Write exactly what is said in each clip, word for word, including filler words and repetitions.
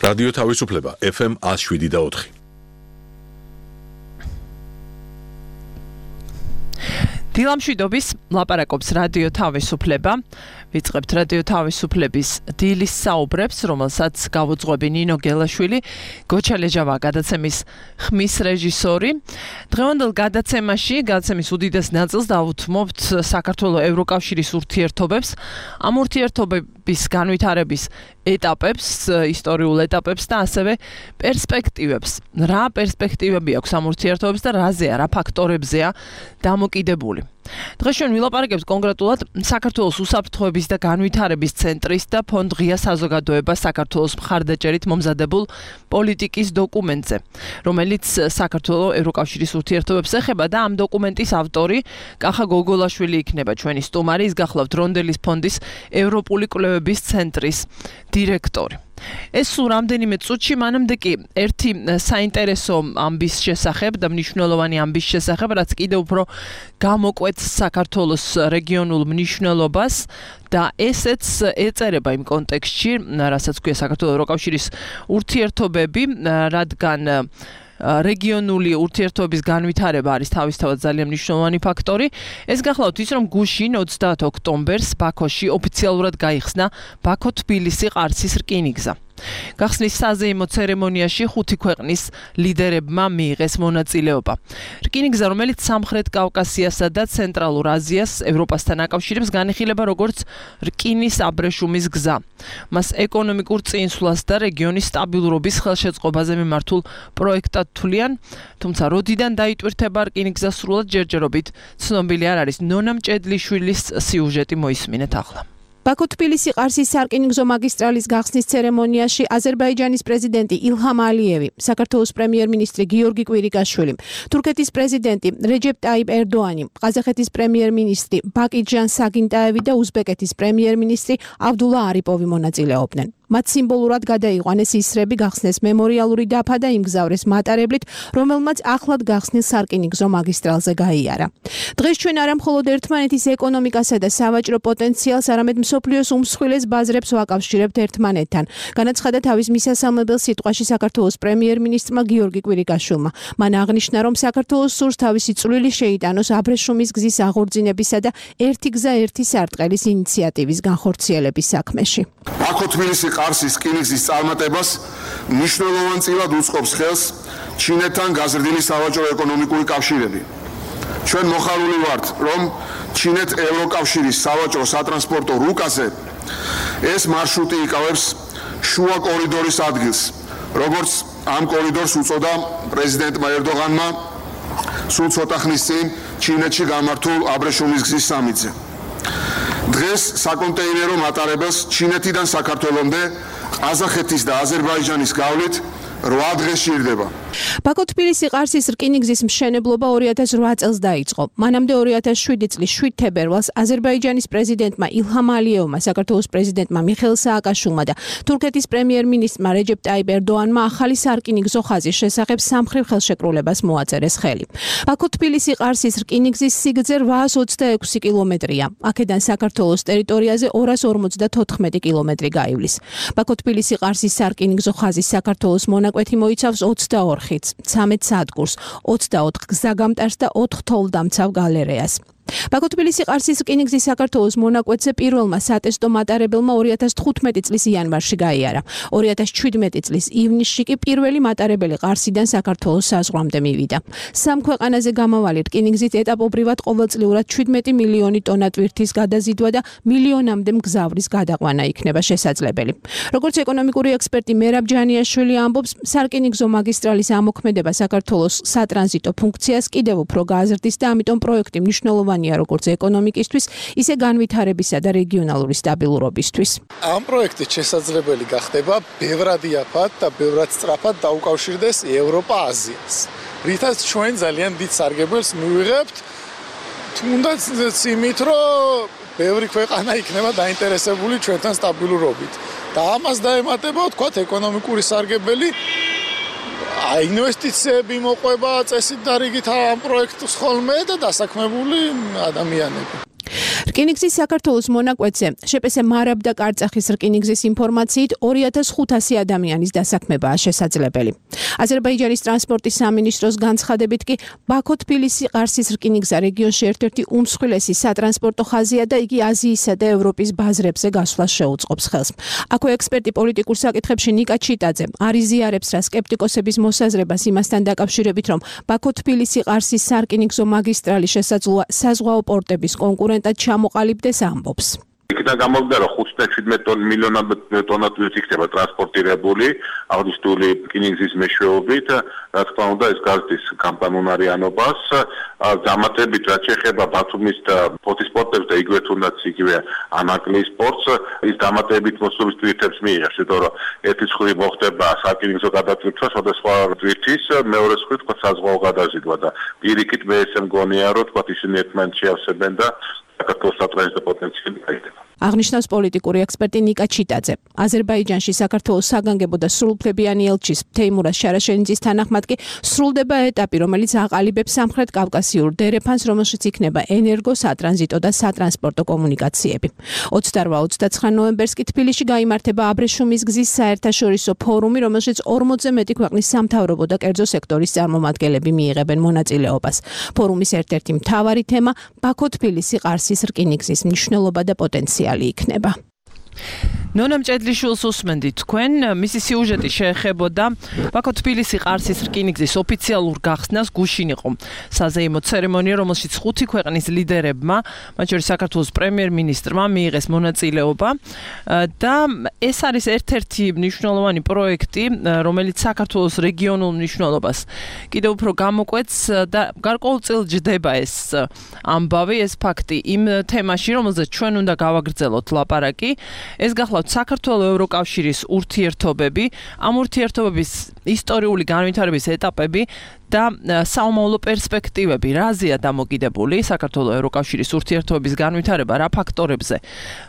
რადიო თავისუფლება ეფ ემ one oh seven და four. დილამშვიდობის ლაპარაკობს რადიო თავისუფლება. ვიწყებთ რადიო თავისუფლების დილის საუბრებს, რომელსაც გავუძღვები ნინო გელაშვილი, გოჩა ლეჯავა გადაცემის ხმის რეჟისორი. დღევანდელ გადაცემაში, გადაცემის უდიდეს ნაწილს დავუთმობთ საქართველოს ევროკავშირის ურთიერთობებს, ამ ურთიერთობების განვითარების ეტაპებს, ისტორიულ ეტაპებს და ასევე პერსპექტივებს. რა პერსპექტივები აქვს ამ ურთიერთობებს და რაზეა, რა ფაქტორებზეა დამოკიდებული. დღეს ჩვენ ვილაპარაკებთ კონკრეტულად საქართველოს უსაფრთხოების და განვითარების ცენტრის და ფონდ ღია საზოგადოებას საქართველოს მხარდაჭერით მომზადებულ პოლიტიკის დოკუმენტზე, რომელიც საქართველოს ევროკავშირის ურთიერთობებს ეხება და ამ დოკუმენტის ავტორი კახა გოგოლაშვილი იქნება ჩვენი სტუმარი, ის გახლავთ რონდელის ფონდის ევროპული კვლევების ცენტრის დირექტორი. ეს სულ რამდენიმე წუთში, მანამდე კი ერთი საინტერესო ამბის შესახებ და მნიშვნელოვანი ამბის შესახებ, რაც კიდევ უფრო გამოკვეთს საქართველოს რეგიონულ მნიშვნელობას და ესეც ეწერება იმ კონტექსტში, რასაც ქვია საქართველოს ევროკავშირის ურთიერთობები, რადგან რეგიონული ურთიერთობის განვითარება არის თავისთავად ძალიან მნიშვნელოვანი ფაქტორი. ეს გახლავთ ის, რომ გუშინ ოცდაათ ოქტომბერს ბაქოში ოფიციალურად გაიხსნა ბაქო-თბილისი-ყარსის რკინიგზა. გახსნის საზეიმო ცერემონიაში ხუთი ქვეყნის ლიდერებმა მიიღეს მონაწილეობა. რკინიგზა, რომელიც სამხრეთ კავკასიასა და ცენტრალურ აზიას ევროპასთან აკავშირებს, განიხილება როგორც რკინის აბრეშუმის გზა. მას ეკონომიკურ წინსვლას და რეგიონის სტაბილურობის ხელშეწყობაზე მიმართულ პროექტად თვლიან, თუმცა როდიდან დაიტვირთება რკინიგზა სრულად ჯერჯერობით ცნობილი არ არის. ნონა მჭედლიშვილის სიუჟეტი მოისმინეთ ახლა. ბაქო-თბილისი-ყარსის სარკინიგზო მაგისტრალის გახსნის ცერემონიაში აზერბაიჯანის პრეზიდენტი ილჰამ ალიევი, საქართველოს პრემიერ-მინისტრი გიორგი კვირიკაშვილი, თურქეთის პრეზიდენტი რეჯეპ ტაიპ ერდოანი, ყაზახეთის პრემიერ-მინისტრი ბაკიჯან საგინტაევი და უზბეკეთის პრემიერ-მინისტრი აბდულა არიპოვი მონაწილეობდნენ. მათ სიმბოლურად გადაიყვანეს ისრები, გახსნეს მემორიალური დაფა და იმგზავრეს მატარებლით, რომელმაც ახლად გახსნილ სარკინიგზო მაგისტრალზე გაიარა. დღეს ჩვენ არა მხოლოდ ერთმანეთის ეკონომიკასა და სავაჭრო პოტენციალს, არამედ მსოფლიოს უმსხვილეს ბაზრებს ვაკავშირებთ ერთმანეთთან. განაცხადა თავის მისასალმებელ სიტყვაში საქართველოს პრემიერ-მინისტრმა გიორგი კვირიკაშვილმა. მან აღნიშნა, რომ საქართველოს სურს თავისი წვლილი შეიტანოს აბრეშუმის გზის აღორძინებისა და ერთი გზა ერთი სარტყელის ინიციატივის განხორციელების საქმეში. ბაქო-თბილისი-ყარსის რკინიგზის წარმატებას მნიშვნელოვან წილად უწყობს ხელს ჩინეთთან გაზრდილი სავაჭრო-ეკონომიკური კავშირები. ჩვენ მოხარული ვართ, რომ ჩინეთ-ევროკავშირის სავაჭრო სატრანსპორტო რუკაზე ეს მარშრუტი იკავებს შუა კორიდორის ადგილს, როგორც ამ კორიდორს უწოდა პრეზიდენტმა ერდოღანმა სულ ცოტა ხნის წინ ჩინეთში გამართულ აბრეშუმის გზის სამიტზე. დღეს საკონტეინერო მატარებელს ჩინეთიდან საქართველომდე ყაზახეთის და აზერბაიჯანის გავლით რვა დღე სჭირდება. ბაქო-თბილისი-ყარსის რკინიგზის მშენებლობა ორი ათას რვა წელს დაიწყო. მანამდე ორი ათას შვიდი წლის შვიდ თებერვალს აზერბაიჯანის პრეზიდენტმა ილჰამ ალიევმა, საქართველოს პრეზიდენტმა მიხეილ სააკაშვილმა და თურქეთის პრემიერ-მინისტრმა რეჯეპ ტაიპ ერდოანმა ახალი სარკინიგზო ხაზის შესახებ სამხრივ ხელშეკრულებას მოაწერეს ხელი. ბაქო-თბილისი-ყარსის რკინიგზის სიგრძე რვაას ოცდაექვსი კილომეტრია. აქედან საქართველოს ტერიტორიაზე ორას ორმოცდათოთხმეტი კილომეტრი გაივლის. ბაქო-თბილისი-ყარსის სარკინიგზო ხაზის საქართველოს მონაკვეთი მოიცავს ოცდაორ ხიდს, ცამეტ სადგურს, ოცდაოთხ გზაგამტარს და ოთხ თოვლდამცავ გალერეას. ბაქო-თბილისი-ყარსის რკინიგზის საქართველოს მონაკვეთზე პირველმა სატესტო მატარებელმა ორი ათას თხუთმეტი წლის იანვარში გაიარა. ორი ათას ჩვიდმეტი წლის ივნისში კი პირველი მატარებელი ყარსიდან საქართველოს საზღვრამდე მივიდა. სამ ქვეყანაზე გამავალი რკინიგზით ეტაპობრივად ყოველწლიურად ჩვიდმეტი მილიონი ტონა ტვირთის გადაზიდვა და მილიონამდე მგზავრის გადაყვანა იქნება შესაძლებელი. როგორც ეკონომიკური ექსპერტი მერაბ ჯანიაშვილი ამბობს, სარკინიგზო მაგისტრალის ამოქმედება საქართველოს სატრანზიტო ფუნქციას კიდევ უფრო გააზრდის და ამიტომ პროექტი მნიშვნელოვანია როგორც ეკონომიკისთვის, ისე განვითარებისა და რეგიონალური სტაბილურობისთვის. ამ პროექტით შესაძლებელი გახდება ბევრად იაფად და ბევრად სწრაფად დაუკავშირდეს ევროპა აზიას. რითაც ჩვენ ძალიან დიდ სარგებელს მივიღებთ, თუნდაც იმით, რომ ბევრი ქვეყანა იქნება დაინტერესებული ჩვენთან სტაბილურობით. და ამას დაემატება, ვთქვათ, ეკონომიკური სარგებელი, ინვესტიციები მოყვება წესით და რიგით ამ პროექტს ხოლმე და დასაქმებული ადამიანები. რკინიგზის საქართველოს მონაკვეთზე შეპესე მარაბდა კარწახის რკინიგზის ინფორმაციით ორი ათას ხუთასი ადამიანის დასაქმებაა შესაძლებელი. აზერბაიჯანის ტრანსპორტის სამინისტროს განცხადებით კი ბაქო-თბილისი-ყარსის რკინიგზა რეგიონში ერთ-ერთი უმსხვილესი სატრანსპორტო ხაზია და იგი აზიისა და ევროპის ბაზრებზე გასვლას შეუწყობს ხელს. აქვე ექსპერტი პოლიტიკურ საკითხებში ნიკა ჩიტაძე არიზიარებს რა სკეპტიკოსების მოსაზრებას იმასთან დაკავშირებით, რომ ბაქო-თბილისი-ყარსის სარკინიგზო მაგისტრალი შესაძლოა საზღვაო პორტების კონკურენტად ჩამოყალიბდეს ამბობს. იქიდან გამოვიდა რომ ხუთი და შვიდმეტ მილიონად ტონად იქნება ტრანსპორტირებული აგვისტული რკინიგზის მეშვეობით, რა თქმა უნდა ეს გარდის გამყანუნარიანობას, დამატებით რაც შეეხება ბათუმის და ფოთის პორტებს და იგივე თუნდაც იგივე ანაკლის პორტს, ის დამატებით მოსვლის თვირთებს მიიღებს, იმიტომ რომ ერთი მხრივ მოხდება სარკინიგზო გადაწყვეტა სხვადასხვა თვირთის, მეორე მხრივ თქვა საზღვაო გადაზიდვა და პირიქით მე ესე მგონია რომ თქვა ისინი ერთმანეთს შეავსებენ და საქართველოს სატრანზიტო პოტენციალი გაიზრდება. აღნიშნავს პოლიტიკური ექსპერტი ნიკა ჩიტაძე. აზერბაიჯანში საქართველოს საგანგებო და სრულუფლებიანი ელჩის თეიმურაზ შარაშენიძის თანახმად კი სრულდება ეტაპი, რომელიც აყალიბებს სამხრეთ კავკასიურ დერეფანს, რომელშიც იქნება ენერგო, სატრანზიტო და სატრანსპორტო კომუნიკაციები. ოცდაოთხ ოცდაცხრა ნოემბერს კი თბილისში გაიმართება აბრეშუმის გზის საერთაშორისო ფორუმი, რომელშიც ორმოცზე მეტი ქვეყნის სამთავრობო და კერძო სექტორის წარმომადგენლები მიიღებენ მონაწილეობას. ფორუმის ერთ-ერთი მთავარი თემა ბაქო-თბილისი-ყარსის რკინიგზის მნიშვნელობა და პოტენციალი იქნება. ნონა მჭედლიშვილს უსმენდით თქვენ, მისი სიუჟეტი შეეხებოდა ბაქო-თბილისი-ყარსის რკინიგზის ოფიციალურ გახსნას. გუშინ იყო საზეიმო ცერემონია, რომელშიც ხუთი ქვეყნის ლიდერებმა, მათ შორის საქართველოს პრემიერ-მინისტრმა მიიღეს მონაწილეობა და ეს არის ერთ-ერთი მნიშვნელოვანი პროექტი, რომელიც საქართველოს რეგიონულ მნიშვნელობას კიდევ უფრო გამოკვეთს და გარკვეულწილ ჯდება ეს ამბავი, ეს ფაქტი იმ თემაში, რომელზეც ჩვენ უნდა გავაგრძელოთ ლაპარაკი. ეს გახლავთ საქართველოს ევროკავშირის ურთიერთობები, ამ ურთიერთობების ისტორიული განვითარების ეტაპები და საომავლო პერსპექტივები, რაზეა დამოკიდებული საქართველოს ევროკავშირის ურთიერთობების განვითარება, რა ფაქტორებზე,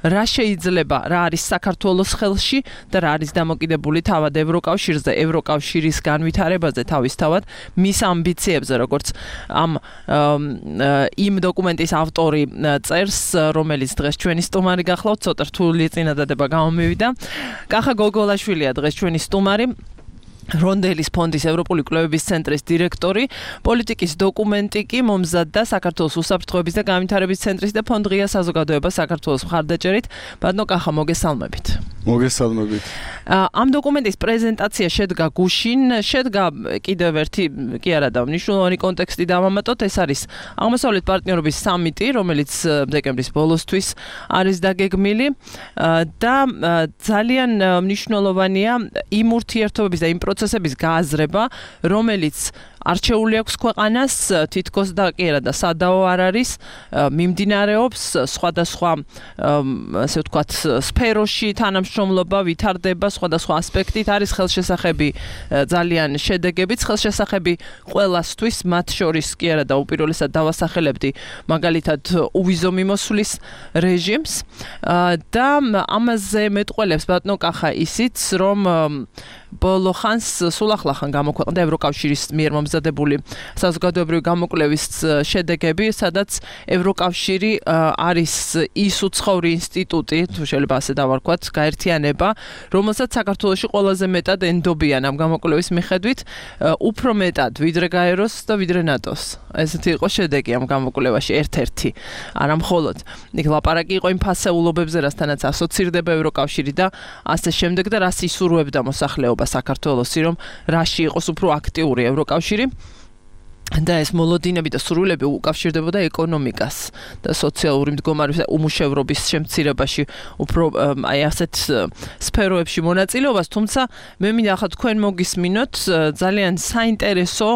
რა შეიძლება, რა არის საქართველოს ხელში და რა არის დამოკიდებული თავად ევროკავშირზე, ევროკავშირის განვითარებაზე თავისთავად, მის ამბიციებზე, როგორც ამ იმ დოკუმენტის ავტორი წერს, რომელიც დღეს ჩვენი სტუმარი გახლავთ, ცოტა რთული წინადადება გამომივიდა. კახა გოგოლაშვილია დღეს ჩვენი სტუმარი. რონდელის ფონდის ევროპული კვლევების ცენტრის დირექტორი, პოლიტიკის დოკუმენტი კი მომზადდა საქართველოს უსაფრთხოების და განვითარების ცენტრის და ფონდ ღია საზოგადოება საქართველოს მხარდაჭერით. ბატონო კახა, მოგესალმებით. მოგესალმებით. ამ დოკუმენტის პრეზენტაცია შედგა გუშინ, შედგა კიდევ ერთი კი არა და მნიშვნელოვანი კონტექსტი დავამატოთ, ეს არის აღმოსავლეთ პარტნიორობის სამიტი, რომელიც დეკემბრის ბოლოსთვის არის დაგეგმილი და ძალიან მნიშვნელოვანია იმ ურთიერთობების და იმ პროცესების გააზრება, რომელიც არჩეული აქვს ქვეყანას, თითქოს და კი არა და სადაო არ არის, მიმდინარეობს სხვადასხვა ასე ვთქვათ სფეროში თანამშრომლობა ვითარდება სხვადასხვა ასპექტით, არის ხელშესახები ძალიან შედეგებიც, ხელშესახები ყველასთვის, მათ შორის კი არა და უპირველესად დავასახელებდი მაგალითად უვიზო მიმოსვლის რეჟიმს და ამაზე მეტყველებს ბატონო კახა ისიც, რომ ბოლო ხანს სულ ახლახან გამოქვეყნდა ევროკავშირის მიერ მომზადებული საზოგადოებრივი გამოკვლევის შედეგები, სადაც ევროკავშირი არის ის უცხოური ინსტიტუტი, თუ შეიძლება ასე დავარქვათ, გაერთიანება, რომელსაც საქართველოში ყველაზე მეტად ენდობიან ამ გამოკვლევის მიხედვით, უფრო მეტად ვიდრე გაეროს და ვიდრე ნატოს. ესეთი იყო შედეგი ამ გამოკვლევაში ერთ-ერთი, არა მხოლოდ. იქ ლაპარაკი იყო იმ ფასეულობებზე, რასთანაც ასოცირდება ევროკავშირი და ასე შემდეგ და რას ისურვებდა მოსახლეობა საქართველოსი, რომ რაში იყოს უფრო აქტიური ევროკავშირი. და ეს მოლოდინები და სურვილები უკავშირდებოდა ეკონომიკას და სოციალური მდგომარეობის და უმუშევრობის შემცირებაში, უფრო აი ასეთ სფეროებში მონაწილეობას, თუმცა მე მინდა ახლა თქვენ მოგისმინოთ ძალიან საინტერესო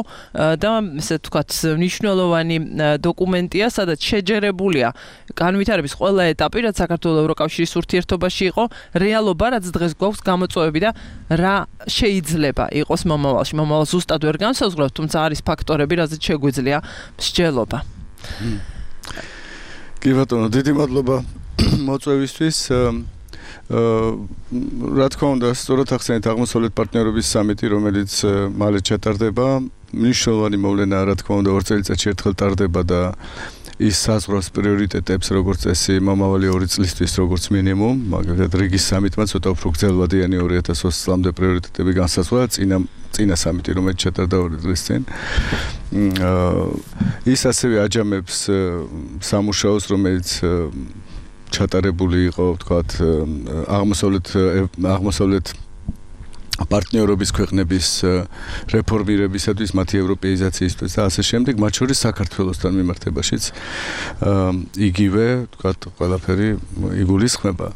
და ესე ვთქვათ მნიშვნელოვანი დოკუმენტია, სადაც შეჯერებულია განვითარების ყველა ეტაპი, რაც საქართველოს ევროკავშირის ურთიერთობაში იყო, რეალობა, რაც დღეს გვაქვს გამოწვევები და რა შეიძლება იყოს მომავალში. მომავალ ზუსტად ვერ განსაზღვრავთ, თუმცა არის ფაქტორები, რაზეც შეგვიძლია მსჯელობა. კი ბატონო, დიდი მადლობა მოწვევისთვის. რა თქმა უნდა, სწორად ახსენეთ აღმოსავლეთ პარტნიორობის სამიტი, რომელიც მალე ჩატარდება. მნიშვნელოვანი მოვლენაა, რა თქმა უნდა, ორ წელიწადში ერთხელ ტარდება და ის საზღვრავს პრიორიტეტებს, როგორც წესი, მომავალი ორი წლისთვის, როგორც მინიმუმ, მაგალითად რიგის სამიტმა ცოტა უფრო გრძელვადიანი ორი ათას ოცი წლამდე პრიორიტეტები განსაზღვრა, წინა წინა სამიტი, რომელიც ჩატარდა ორი წლის წინ. ის ასევე აჯამებს სამუშაოს, რომელიც ჩატარებული იყო, ვთქვათ, აღმოსავლეთ აღმოსავლეთ პარტნიორობის ქვეყნების რეფორმირებისათვის, მათი ევროპეიზაციისთვის და ასე შემდეგ, მათ შორის საქართველოსთან მიმართებაშიც იგივე, ვთქვათ, ყველაფერი იგულისხმება.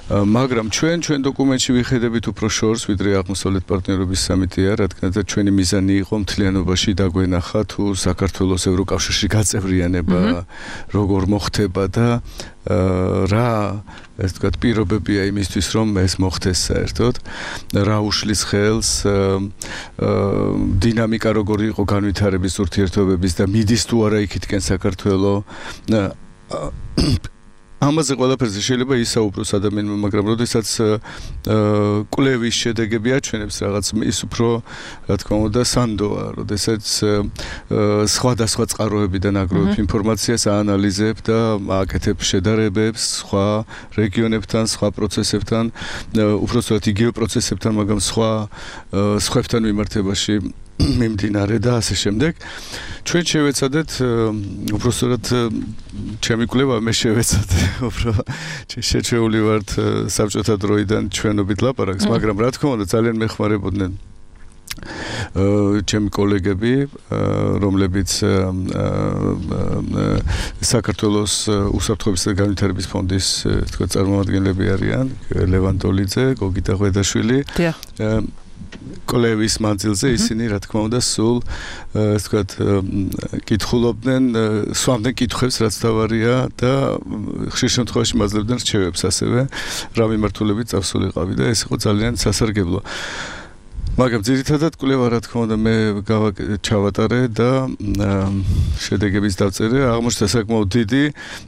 მაგრამ ჩვენ ჩვენ დოკუმენტში ვიხედებით უფრო შორს, ვიდრე აღმოსავლეთ პარტნიორობის სამიტია, რადგან ჩვენი მიზანი იყო მთლიანობაში დაგვენახა თუ საქართველოს ევროკავშირში გაწევრიანება როგორ მოხდება და რა ეს თქვათ პირობებია იმისთვის რომ ეს მოხდეს საერთოდ რა უშლის ხელს დინამიკა როგორი იყო განვითარების ურთიერთობების და მიდის თუ არა იქითკენ საქართველო ამაზე ყველაფერზე შეიძლება ისაუბროს ადამიანმა, მაგრამ როდესაც კვლევის შედეგები აჩვენებს რაღაც ის უფრო, რა თქმა უნდა, სანდოა, როდესაც სხვადასხვა წყაროებიდან აგროვებ ინფორმაციას, აანალიზებ და აკეთებ შედარებებს სხვა რეგიონებთან, სხვა პროცესებთან, უბრალოდ იგივე პროცესებთან, მაგრამ სხვა სხვებთან მიმართებაში მიმდინარე და ასე შემდეგ. ჩვენ შევეცადეთ უბრალოდ ჩემი კვლევა მე შევეცადე, უბრალოდ შეჩეული ვართ საბჭოთა დროიდან ჩვენობით ლაპარაკს, მაგრამ რა თქმა უნდა ძალიან მეხმარებოდნენ ჩემი კოლეგები, რომლებიც საქართველოს უსაფრთხოებისა და განვითარების ფონდის თქვა წარმომადგენლები არიან, ლევან ტოლიძე, გოგიტა ღვედაშვილი. კოლევის მანძილზე ისინი რა თქმა უნდა სულ ასე ვთქვათ კითხულობდნენ, სვამდნენ კითხვებს, რაც თავარია და ხშირ შემთხვევაში მაძლევდნენ რჩევებს ასევე, რა მიმართულებით წავსულიყავი და ეს იყო ძალიან სასარგებლო. მაგრამ ძირითადად კვლევა რა თქმა უნდა მე ჩავატარე და შედეგების დავწერე, აღმოჩნდა საკმაოდ დიდი,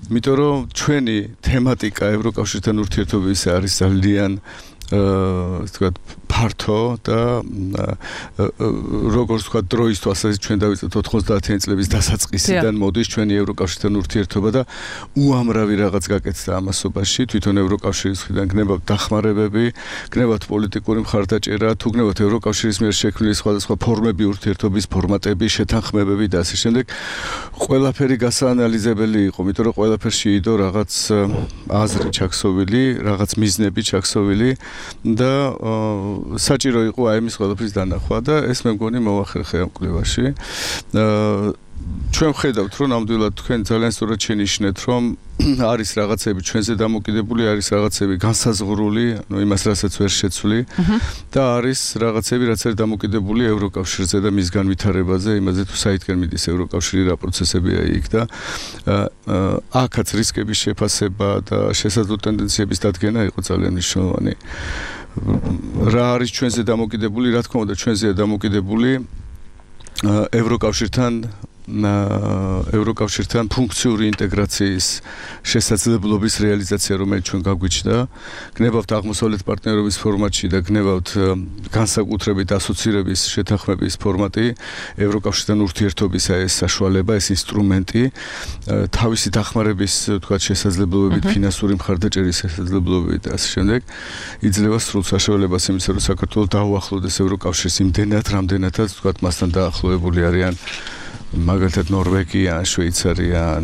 იმიტომ რომ ჩვენი თემატიკა ევროკავშირთან ურთიერთობების არის ძალიან ასე ვთქვათ ფართო და როგორც ვთქვათ დროისთვის ასე ჩვენ დავიწყეთ ოთხმოცდაათიანი წლების დასაწყისიდან მოდის ჩვენი ევროკავშირთან ურთიერთობა და უამრავი რაღაც გაკეთდა ამასობაში, თვითონ ევროკავშირის მხრიდან გნებავთ დახმარებები, გნებავთ პოლიტიკური მხარდაჭერა, თუ გნებავთ ევროკავშირის მიერ შექმნილი სხვადასხვა ფორმები ურთიერთობის ფორმატები, შეთანხმებები და ასე შემდეგ. ყველაფერი გასაანალიზებელი იყო, იმიტომ რომ ყველაფერში იდო რაღაც აზრი ჩაქსოვილი, რაღაც მიზნები ჩაქსოვილი და საჭირო იყო აი ამის ყველაფრის დანახვა და ეს მე მგონი მოახერხე ამ კვლევაში. ჩვენ ვხედავთ რომ ნამდვილად თქვენ ძალიან სწორად შენიშნეთ რომ არის რაღაცები ჩვენზე დამოკიდებული, არის რაღაცები განსაზღვრული, ანუ იმას რასაც ვერ შეცვლი და არის რაღაცები რაც არის დამოკიდებული ევროკავშირზე და მის განვითარებაზე, იმაზე თუ საითკენ მიდის ევროკავშირი, რა პროცესებია იქ და აქაც რისკების შეფასება და შესაძლო ტენდენციების დადგენა იყო ძალიან მნიშვნელოვანი. რა არის ჩვენზე დამოკიდებული, რა თქმა უნდა ჩვენზეა დამოკიდებული ევროკავშირთან ევროკავშირთან ფუნქციური ინტეგრაციის შესაძლებლობის რეალიზაცია, რომელიც ჩვენ გაგვიჩნდა, გნებავთ აღმოსავლეთ პარტნიორობის ფორმატში და გნებავთ განსაკუთრებით ასოცირების შეთანხმების ფორმატი, ევროკავშირთან ურთიერთობისა ეს საშუალება, ეს ინსტრუმენტი, თავისი დახმარების, თქვათ, შესაძლებლობებით, ფინანსური მხარდაჭერის შესაძლებლობებით და ასე შემდეგ, იძლევა სრულ საშუალებას იმისა, რომ საქართველოს დაუახლოვდეს ევროკავშირს იმდენად, რამდენადაც, თქვათ, მასთან დაახლოებული არიან მაგალითად ნორვეგია, შვეიცარია,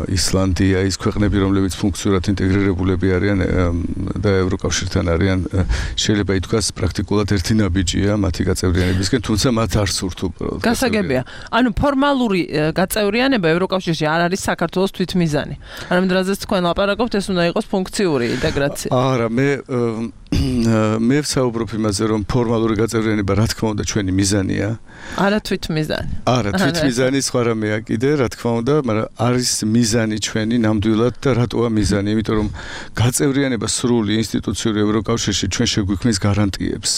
ისლანდია, ის ქვეყნები, რომლებიც ფუნქციურად ინტეგრირებულები არიან და ევროკავშირთან არიან, შეიძლება ითქვას პრაქტიკულად ერთი ნაბიჯია მათი გაწევრიანებისკენ, თუმცა მათ არ სურთ უბრალოდ. გასაგებია. ანუ ფორმალური გაწევრიანება ევროკავშირში არ არის საქართველოს თვითმიზანი. არამედ რაზეც თქვენ ლაპარაკობთ, ეს უნდა იყოს ფუნქციური ინტეგრაცია. არა, მე მე ვსაუბრობ იმაზე, რომ ფორმალური გაწევრიანება რა თქმა უნდა ჩვენი მიზანია. არა თვითმიზანი. არა თვითმიზანი სხვა რამეა კიდე, რა თქმა უნდა, მაგრამ არის მიზანი ჩვენი ნამდვილად და რატოა მიზანი? იმიტომ რომ გაწევრიანება სრული ინსტიტუციური ევროკავშირში ჩვენ შეგვიქმნის გარანტიებს.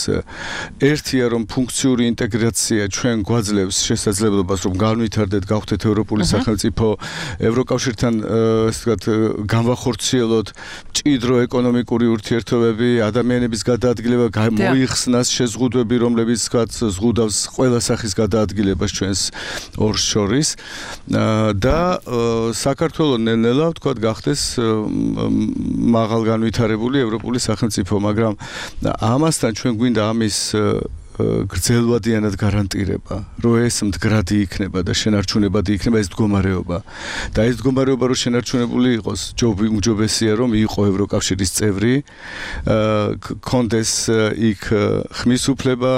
ერთია რომ ფუნქციური ინტეგრაცია ჩვენ გვაძლევს შესაძლებლობას რომ განვითარდეთ, გავხდეთ ევროპული სახელმწიფო, ევროკავშირთან ასე ვთქვათ, განვახორციელოთ მჭიდრო ეკონომიკური ურთიერთობები, ადამიანების საშუალებების გადაადგილება, მოიხსნას შეზღუდვები, რომლებიც თქვათ ზღუდავს ყველა სახის გადაადგილებას ჩვენს ორს შორის და საქართველო ნელ-ნელა თქვათ გახდეს მაღალ განვითარებული ევროპული სახელმწიფო, მაგრამ ამასთან ჩვენ გვინდა ამის გრძელვადიანად გარანტირება, რომ ეს მდგრადი იქნება და შენარჩუნებადი იქნება ეს მდგომარეობა. და ეს მდგომარეობა რომ შენარჩუნებული იყოს, უმჯობესია რომ იყო ევროკავშირის წევრი, კონდეს იქ ხმის უფლება,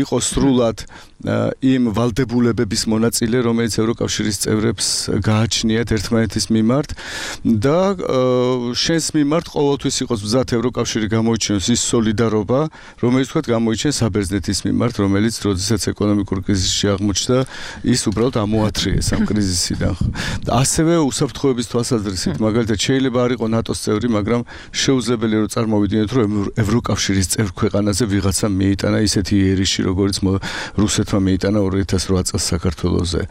იყოს სრულად იმ ვალდებულებების მონაწილე, რომელიც ევროკავშირის წევრებს გააჩნიათ ერთმანეთის მიმართ და შენს მიმართ ყოველთვის იყოს მზად ევროკავშირი გამოიჩინოს ის სოლიდარობა, რომელიც თქვათ გამოიჩენს საბერძნეთის მიმართ, რომელიც როდესაც ეკონომიკურ კრიზისში აღმოჩნდა, ის უბრალოდ ამოათრიეს ამ კრიზისიდან. ასევე უსაფრთხოების თვალსაზრისით, მაგალითად შეიძლება არ იყო ნატოს წევრი, მაგრამ შეუძლებელია რომ წარმოვიდგინოთ, რომ ევროკავშირის წევრ ქვეყანაზე ვიღაცა მიიტანა ისეთი იერიში, როგორც რუსეთს მეიტანა ორი ათას ოთხ წელს საქართველოზე.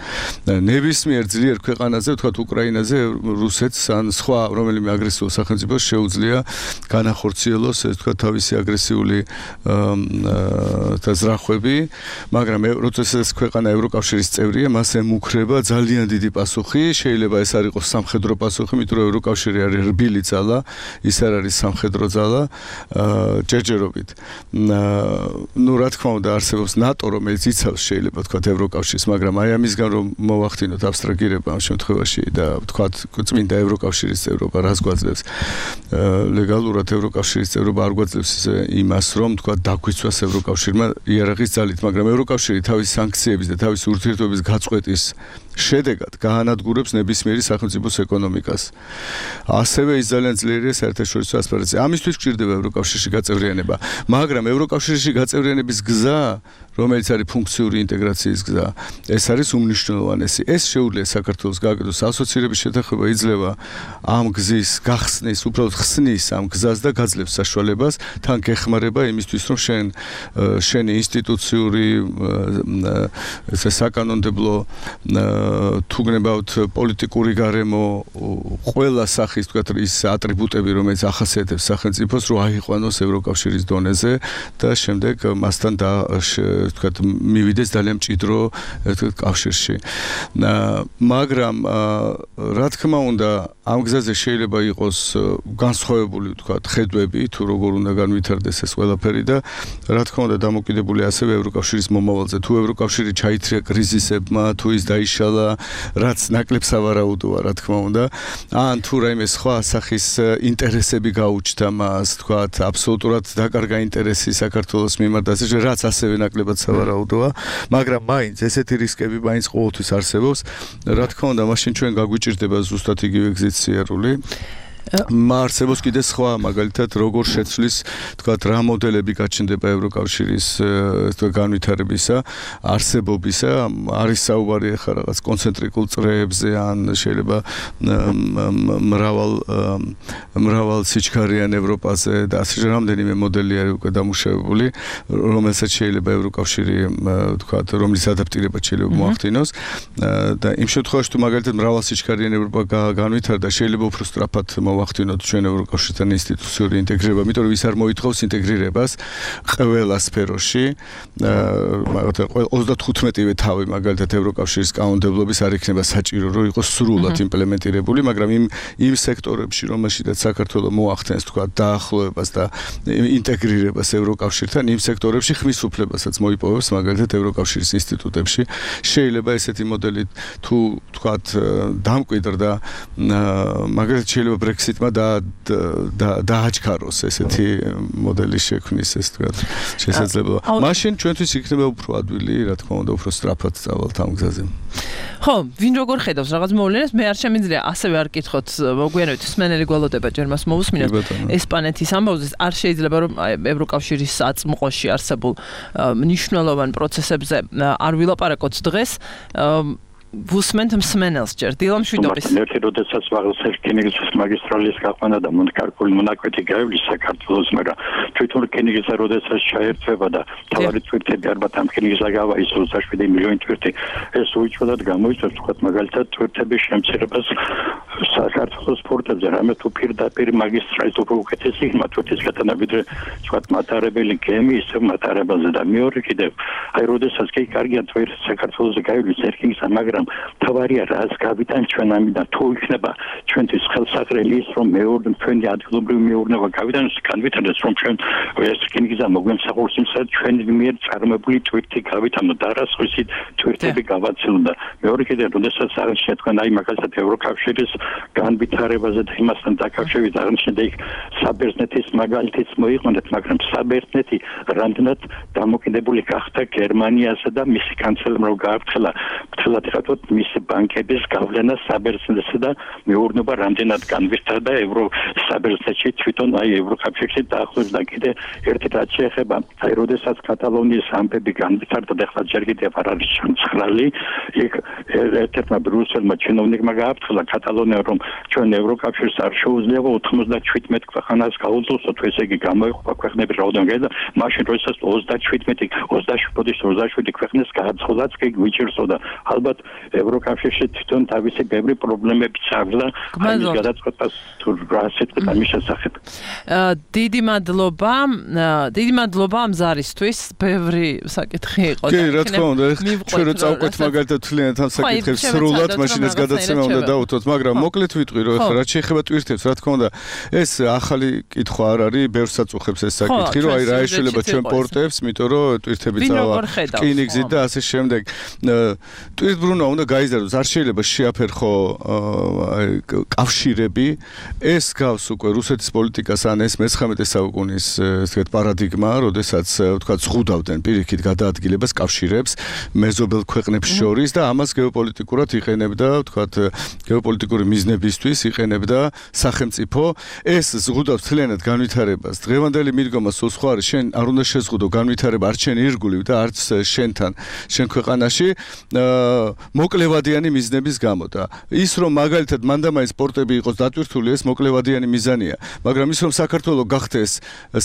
ნებისმიერ ძლიერ ქვეყანაზე, ვთქვათ უკრაინაზე, რუსეთს ან სხვა რომელიმე აგრესიულ სახელმწიფოს შეუძლია განახორციელოს, ეს ვთქვათ თავისი აგრესიული ზრახვები, მაგრამ როდესაც ქვეყანა ევროკავშირის წევრია, მას ემუქრება ძალიან დიდი პასუხი, შეიძლება ეს არ იყოს სამხედრო პასუხი, იმიტომ რომ ევროკავშირი არის რბილი ძალა, ის არ არის სამხედრო ძალა, ჯერჯერობით. ნუ რა თქმა უნდა არსებობს ნატო, რომელიც იცავს შეიძლება თქვათ ევროკავშირს, მაგრამ აი ამისგან რომ მოვახდინოთ აბსტრაგირება ამ შემთხვევაში და თქვათ წმინდა ევროკავშირის წევრობა რას გვაძლევს ლეგალურად ევროკავშირის წევრობა არ გვაძლევს იმას რომ თქვათ დაგვიცვას ევროკავშირმა იარაღის ძალით, მაგრამ ევროკავშირი თავის სანქციების და თავის ურთიერთობების გაწყვეტის შედეგად გაანადგურებს ნებისმიერი სახელმწიფოს ეკონომიკას. ასევე ის ძალიან ძლიერია საერთაშორისო ასპარეზზე. ამისთვის გვჭირდება ევროკავშირში გაწევრიანება, მაგრამ ევროკავშირში გაწევრიანების გზა, რომელიც არის ფუნქციური ინტეგრაციის გზა, ეს არის უმნიშვნელოვანესი. ეს შეუძლია საქართველოს გააკეთოს ასოცირების შეთანხმება, იძლევა ამ გზის გახსნის, უბრალოდ ხსნის ამ გზას და გაძლევს საშუალებას, თან გეხმარება იმისთვის, რომ შენ შენი ინსტიტუციური ესე საკანონმდებლო თუ გნებავთ პოლიტიკური გარემო ყველა სახის თქვათ ის ატრიბუტები რომელიც ახასიათებს სახელმწიფოს რომ აიყვანოს ევროკავშირის დონეზე და შემდეგ მასთან და თქვათ მივიდეს ძალიან მჭიდრო თქვათ კავშირში. მაგრამ რა თქმა უნდა ამ გზაზე შეიძლება იყოს განსხვავებული თქვათ ხედვები თუ როგორ უნდა განვითარდეს ეს ყველაფერი და რა თქმა უნდა დამოკიდებული ასევე ევროკავშირის მომავალზე. თუ ევროკავშირი ჩაითრია კრიზისებმა, თუ ის დაიშალა, რაც ნაკლებ სავარაუდოა, რა თქმა უნდა. ან თუ რაიმე სხვა სახის ინტერესები გაუჩნდა მას, თქვათ, აბსოლუტურად დაკარგა ინტერესი საქართველოს მიმართ, ასე რაც ასევე ნაკლებად სავარაუდოა, მაგრამ მაინც ესეთი რისკები მაინც ყოველთვის არსებობს. რა თქმა უნდა, მაშინ ჩვენ გაგვიჭირდება ზუსტად იგივე გზით სიარული. მარსებობს კიდე სხვა მაგალითად როგორ შეცვლის თქვათ რა მოდელები გაჩნდება ევროკავშირის თქვათ განვითარებისა არსებობისა არის საუბარი ახლა რაღაც კონცენტრიკულ წრეებზე ან შეიძლება მრავალ მრავალ სიჩქარიან ევროპაზე და ასე რამდენიმე მოდელი არის უკვე დამუშავებული რომელსაც შეიძლება ევროკავშირი თქვათ რომლის ადაპტირება შეიძლება მოახდინოს და იმ შემთხვევაში თუ მაგალითად მრავალ სიჩქარიან ევროპა განვითარდა შეიძლება უფრო სწრაფად ვახდინოთ ჩვენ ევროკავშირთან ინსტიტუციური ინტეგრირება, იმიტომ რომ ის არ მოითხოვს ინტეგრირებას ყველა სფეროში. მაგალითად ოცდათხუთმეტივე თავი მაგალითად ევროკავშირის კანონმდებლობის არ იქნება საჭირო, რომ იყოს სრულად იმპლემენტირებული, მაგრამ იმ იმ სექტორებში, რომელშიც საქართველოს მოახდენს თქვა დაახლოებას და ინტეგრირებას ევროკავშირთან, იმ სექტორებში ხმის უფლებასაც მოიპოვებს მაგალითად ევროკავშირის ინსტიტუტებში. შეიძლება ესეთი მოდელი თუ თქვათ დამკვიდრდა მაგალითად შეიძლება ბრექსიტმა და დააჩქაროს ესეთი მოდელის შექმნის ეს თქვა შესაძლებლობა. მაშინ ჩვენთვის იქნება უფრო ადვილი, რა თქმა უნდა, უფრო სწრაფად წავალთ ამ გზაზე. ხო, ვინ როგორ ხედავს რაღაც მოვლენას, მე არ შემიძლია ასევე არ კითხოთ, მოგვიანებით სმენელი გველოდება ჯერ მას მოусმინოთ. ესპანეთის ამბავზე არ შეიძლება რომ ევროკავშირის აწმყოში არსებულ მნიშვნელოვან პროცესებზე არ ვილაპარაკოთ დღეს. ვუსმენთ მსმენელს ჯერ დილამ შვიდობის ერთი როდესაც ვაღელს რკინიგზის მაგისტრალის გაყვანა და მონკარკული მონაკვეთი გაივლის საქართველოს, მაგრამ თვითონ რკინიგზა როდესაც ჩაერთვება და თავარი თვირთები არბათ ამ რკინიგზა გავა ის ოცდაშვიდი მილიონი თვირთი ეს უჩვენად გამოიწვევს თქვათ მაგალითად თვირთების შემცირებას საქართველოს სპორტებზე რამე თუ პირდაპირ მაგისტრალით უფრო უკეთესი იქნება თურქეთის გათანაბიდრე თქვათ მატარებელი გემი ისე მატარებელზე და მეორე კიდევ აი როდესაც კი კარგია თუ საქართველოსზე გაივლის ერკინგსა მაგრამ თავარია რას გავიტან ჩვენ ამიდან თუ იქნება ჩვენთვის ხელსაყრელი ის რომ მეორე ჩვენი ადგილობრივი მეურნეობა გავიტანოს განვითარდეს რომ ჩვენ ერკინგსა მოგვემსახურს იმსა ჩვენი მიერ წარმოებული ტვირთი გავიტანო და არასხივი ტვირთები გავაცილო და მეორე კიდევ როდესაც აღნიშნეთ თქვენ აი მაგალითად ევროკავშირის განვითარებაზე და იმასთან დაკავშირებით აღნიშნეთ იქ საბერძნეთის მაგალითიც მოიყვანეთ მაგრამ საბერძნეთი რამდენად დამოკიდებული გახდა გერმანიასა და მისი კანცელერმა რომ გააფრთხილა ფრთხილად ხათოთ მისი ბანკების გავლენა საბერძნეთსა და მეურნეობა რამდენად განვითარდა ევრო საბერძნეთში თვითონ აი ევროკავშირში დაახლოებით კიდე ერთი რაც შეეხება აი როდესაც კატალონიის ამბები განვითარდა და ახლა ჯერ კიდევ არ არის ჩამცხრალი იქ ერთ-ერთმა ბრიუსელმა ჩინოვნიკმა გააფრთხილა კატალონია რომ ჩვენ ევროკავშირს არ შეუძლია ოცდაშვიდმეტ ქვეყანას გაუძლოსოთ ესე იგი გამოიყოფა ქვეყნები რაოდენობით და მაშინ როდესაც ოცდაშვიდმეტი ოცდაშვიდი ქვეყნის გააცხადაც კი გვიჭირსო და ალბათ ევროკავშირში თვითონ თავისი ბევრი პრობლემებიც აქვს და ამის გადაწყვეტას თუ რა სიტყვით ამის შესახებ დიდი მადლობა დიდი მადლობა ამ ზარისთვის ბევრი საკითხი იყო და კი რა თქმა უნდა ჩვენ რო წავყვეთ მაგალითად თლიანად ამ საკითხებს სრულად მაშინ ეს გადაცემა უნდა დავუთოთ მაგრამ მოკლედ ვიტყვი რომ ახლა რაც შეეხება ტვირთებს რა თქმა უნდა ეს ახალი კითხვა არ არის ბევრს აწუხებს ეს საკითხი რომ აი რა ეშველება ჩვენ პორტებს იმიტომ რომ ტვირთები წავა რკინიგზით და ასე შემდეგ ტვირთბრუნვა უნდა გაიზარდოს არ შეიძლება შეაფერხო კავშირები ეს გავს უკვე რუსეთის პოლიტიკას ან ეს მეცხრამეტე საუკუნის ესეთ პარადიგმა როდესაც თქვა ზღუდავდნენ პირიქით გადაადგილებას კავშირებს მეზობელ ქვეყნებს შორის და ამას გეოპოლიტიკურად იყენებდა თქვა გეოპოლიტიკური მიზნებისთვის იყენებდა სახელმწიფო ეს ზღუდავს თლიანად განვითარებას დღევანდელი მიდგომა სულ სხვა არის შენ არ უნდა შეზღუდო განვითარება არც შენ ირგვლივ და არც შენთან შენ ქვეყანაში მოკლევადიანი მიზნების გამო და ის რომ მაგალითად მანდამაის სპორტები იყოს დატვირთული ეს მოკლევადიანი მიზანია მაგრამ ის რომ საქართველოს გახდეს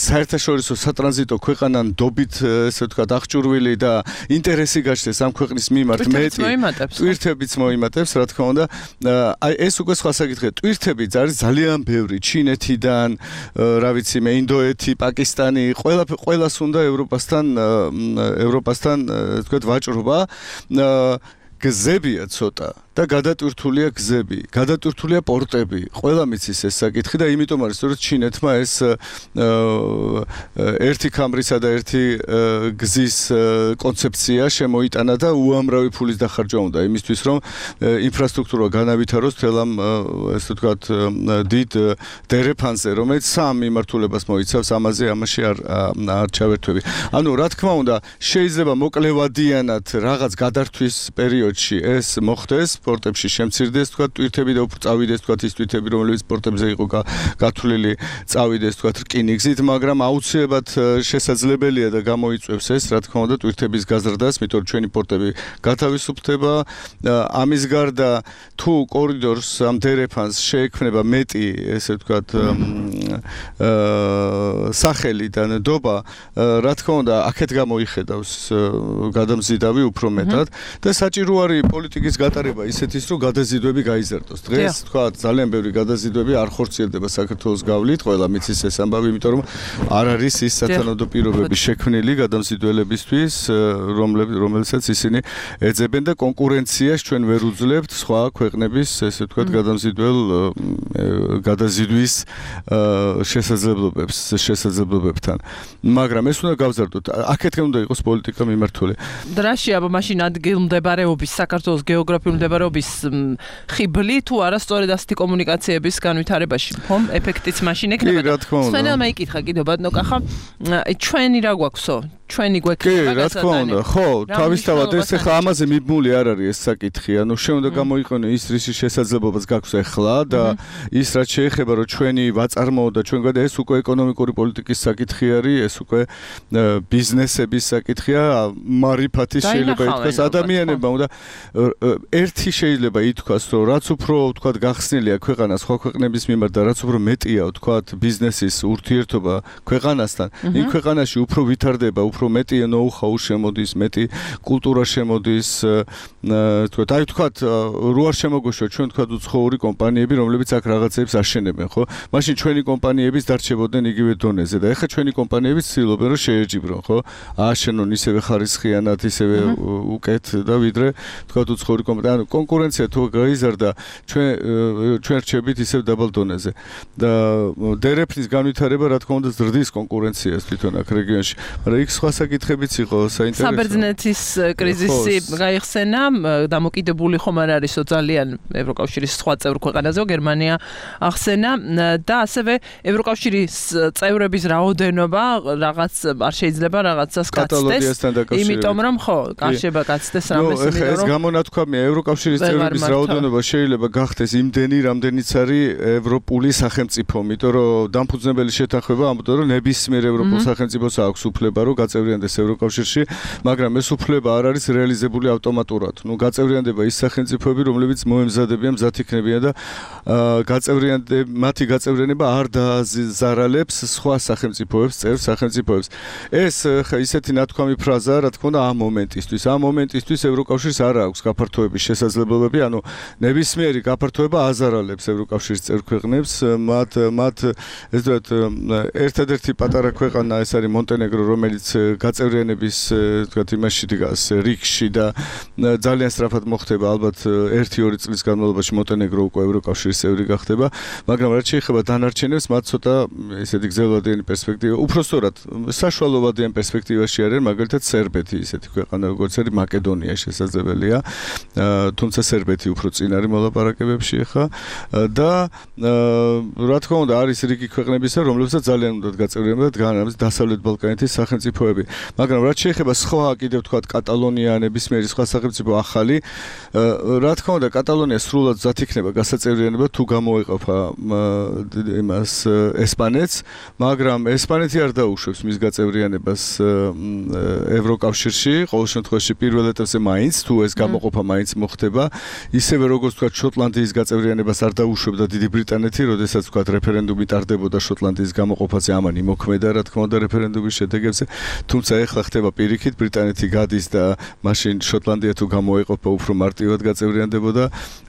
საერთაშორისო სატრანზიტო ქვეყანა ნდობით ესე ვთქვათ აღჭურვილი და ინტერესი გაჩნდეს ამ ქვეყნის მიმართ მეტი ტვირთებიც მოიმატებს რა თქმა უნდა აი ეს უკვე სხვა საკითხია ტვირთები არის ძალიან ბევრი ჩინეთიდან რა ვიცი მე ინდოეთი პაკისტანი ყველა ყველას უნდა ევროპასთან ევროპასთან ვთქვათ ვაჭრობა გზებია ცოტა და გადატვირთულია გზები, გადატვირთულია პორტები. ყველა მიცის ეს საკითხი და იმიტომ არის, რომ ჩინეთმა ეს ერთი ქამრისა და ერთი გზის კონცეფცია შემოიტანა და უამრავი ფულის დახარჯვა უნდა იმისთვის, რომ ინფრასტრუქტურა განავითაროს თელ ამ ესე ვთქვათ დიდ დერეფანზე, რომელიც სამ მიმართულებას მოიცავს, ამაზე ამაში არ არ ჩავერთვები. ანუ რა თქმა უნდა, შეიძლება მოკლევადიანად რაღაც გადართვის პერიოდში ეს მოხდეს სპორტებში შემცირდეს თქვა ტვირთები და უფრო წავიდეს თქვა ის ტვირთები რომლებიც სპორტებზე იყო გათვლილი წავიდეს თქვა რკინიგზით მაგრამ აუცილებლად შესაძლებელია და გამოიწვევს ეს რა თქმა უნდა ტვირთების გაზრდას იმიტომ რომ ჩვენი პორტები გათავისუფლდება ამის გარდა თუ კორიდორს ამ დერეფანს შეექმნება მეტი ესე ვთქვა სახელი და ნდობა რა თქმა უნდა აქეთ გამოიხედავს გადამზიდავი უფრო მეტად და საჭირო არის პოლიტიკის გატარება ისეთის რომ გადაზიდვები გაიზარდოს. დღეს თქვა ძალიან ბევრი გადაზიდვები არ ხორციელდება საქართველოს გავლით, ყველა მიცის ეს ამბავი, იმიტომ რომ არ არის ის სათანადო პირობები შექმნილი გადამზიდველებისთვის, რომელსაც ისინი ეძებენ და კონკურენციას ჩვენ ვერ უძლებთ სხვა ქვეყნების, ესე ვთქვათ, გადამზიდվել გადაზიდვის შესაძლებლობებს, შესაძლებლობებთან. მაგრამ ეს უნდა გავზარდოთ. აქეთკენ უნდა იყოს პოლიტიკა მიმართული. დრაში აბა მაშინ ადგილმდებარეობის საქართველოს გეოგრაფიული მდებარეობის ხიბლი თუ არასწორად ასეთი კომუნიკაციების განვითარებაში ხომ ეფექტიც მაშინ ექნება და სვენელმა იკითხა კიდევ ბატონო კახა ჩვენი რა გვაქვსო ჩვენი გვექნება კი რა თქმა უნდა ხო თავისთავად ეს ახლა ამაზე მიბმული არ არის ეს საკითხი ანუ შენ უნდა გამოიყენო ის რის შესაძლებლობას გაქვს ახლა და ის რაც შეეხება რომ ჩვენი ვაწარმოო და ჩვენ გადა ეს უკვე ეკონომიკური პოლიტიკის საკითხი არის ეს უკვე ბიზნესების საკითხია მარიფათი შეიძლება ითქვას ადამიანებმა უნდა ერთი შეიძლება ითქვას რომ რაც უფრო ვთქვათ გახსნილია ქვეყანა სხვა ქვეყნების მიმართ და რაც უფრო მეტია ვთქვათ ბიზნესის ურთიერთობა ქვეყანასთან იმ ქვეყანაში უფრო ვითარდება უფრო მეტი know-how შემოდის, მეტი კულტურა შემოდის, თქვათ, აი თქვათ, რო არ შემოგოშვა ჩვენ თქვათ უცხოური კომპანიები, რომლებიც აქ რაღაცებს აშენებენ, ხო? მაშინ ჩვენი კომპანიებიც დარჩებოდნენ იგივე დონეზე და ეხლა ჩვენი კომპანიებიც ცდილობენ რომ შეეჯიბრონ, ხო? ააშენონ ისევე ხარისხიანად, ისევე უკეთ და ვიდრე თქვათ უცხოური კომპანია, ანუ კონკურენცია თუ გაიზარდა, ჩვენ ჩვენ რჩებით ისევ დაბალ დონეზე. და დერეფნის განვითარება რა თქმა უნდა ზრდის კონკურენციას თვითონ აქ რეგიონში. მაგრამ იქ სხვა საკითხებიც იყო საინტერესო. საბერძნეთის კრიზისი გაიხსენა, დამოკიდებული ხომ არ არისო ძალიან ევროკავშირის სხვა წევრ ქვეყანაზე, გერმანია ახსენა და ასევე ევროკავშირის წევრების რაოდენობა რაღაც არ შეიძლება რაღაცას გაცდეს. იმიტომ რომ ხო, კარშება გაცდეს რამეს იმიტომ რომ ეს გამონათქვამია ევროკავშირის წევრების რაოდენობა შეიძლება გახდეს იმდენი, რამდენიც არის ევროპული სახელმწიფო, იმიტომ რომ დამფუძნებელი შეთანხმება ამბობდა რომ ნებისმიერ ევროპულ სახელმწიფოს აქვს უფლება რომ გაწევრიანდეს ევროკავშირში, მაგრამ ეს უფლება არ არის რეალიზებული ავტომატურად. ნუ გაწევრიანდება ის სახელმწიფოები, რომლებიც მოემზადებიან, მზად იქნებიან და გაწევრიანდება, მათი გაწევრიანება არ დააზარალებს სხვა სახელმწიფოებს, წევრ სახელმწიფოებს. ეს ისეთი ნათქვამი ფრაზაა, რა თქმა უნდა, ამ მომენტისთვის. ამ მომენტისთვის ევროკავშირს არ აქვს გაფართოების შესაძლებლობები, ანუ ნებისმიერი გაფართოება აზარალებს ევროკავშირის წევრ ქვეყნებს, მათ მათ ეს ვთქვათ, ერთადერთი პატარა ქვეყანა ეს არის მონტენეგრო, რომელიც გაწევრიანების ვთქვათ იმაში დგას რიგში და ძალიან სწრაფად მოხდება, ალბათ ერთი-ორი წლის განმავლობაში მონტენეგრო უკვე ევროკავშირის წევრი გახდება, მაგრამ რაც შეეხება დანარჩენებს, მათ ცოტა ესეთი გრძელვადიანი პერსპექტივა, უფრო სწორად, საშუალოვადიან პერსპექტივაში არის, მაგალითად სერბეთი, ისეთი ქვეყანა, როგორც არის მაკედონია შესაძლებელია, თუმცა სერბეთი უფრო წინ არის მოლაპარაკებებში ხა და რა თქმა უნდა არის რიგი ქვეყნებისა, რომლებსაც ძალიან უნდათ გაწევრიანება და განამის დასავლეთ ბალკანეთის სახელმწიფოები, მაგრამ რაც შეეხება სხვა კიდევ თქვათ კატალონია, ნებისმიერი სხვა სახელმწიფო ახალი, რა თქმა უნდა კატალონია სრულად მზად იქნება გასაწევრიანება თუ გამოეყოფა იმას ესპანეთს, მაგრამ ესპანეთი არ დაუშვებს მის გაწევრიანებას ევროკავშირში, ყოველ შემთხვევაში პირველ ეტაპზე მაინც თუ ეს გამოყოფა მაინც მოხდება, ისევე როგორც თქვა შოტლანდიის გაწევრიანებას არ დაუშვებდა დიდი ბრიტანეთი, როდესაც თქვა რეფერენდუმი ტარდებოდა შოტლანდიის გამოყოფაზე, ამან იმოქმედა რა თქმა უნდა რეფერენდუმის შედეგებზე, თუმცა ეხლა ხდება პირიქით, ბრიტანეთი გადის და მაშინ შოტლანდია თუ გამოეყოფა უფრო მარტივად გაწევრიანდებოდა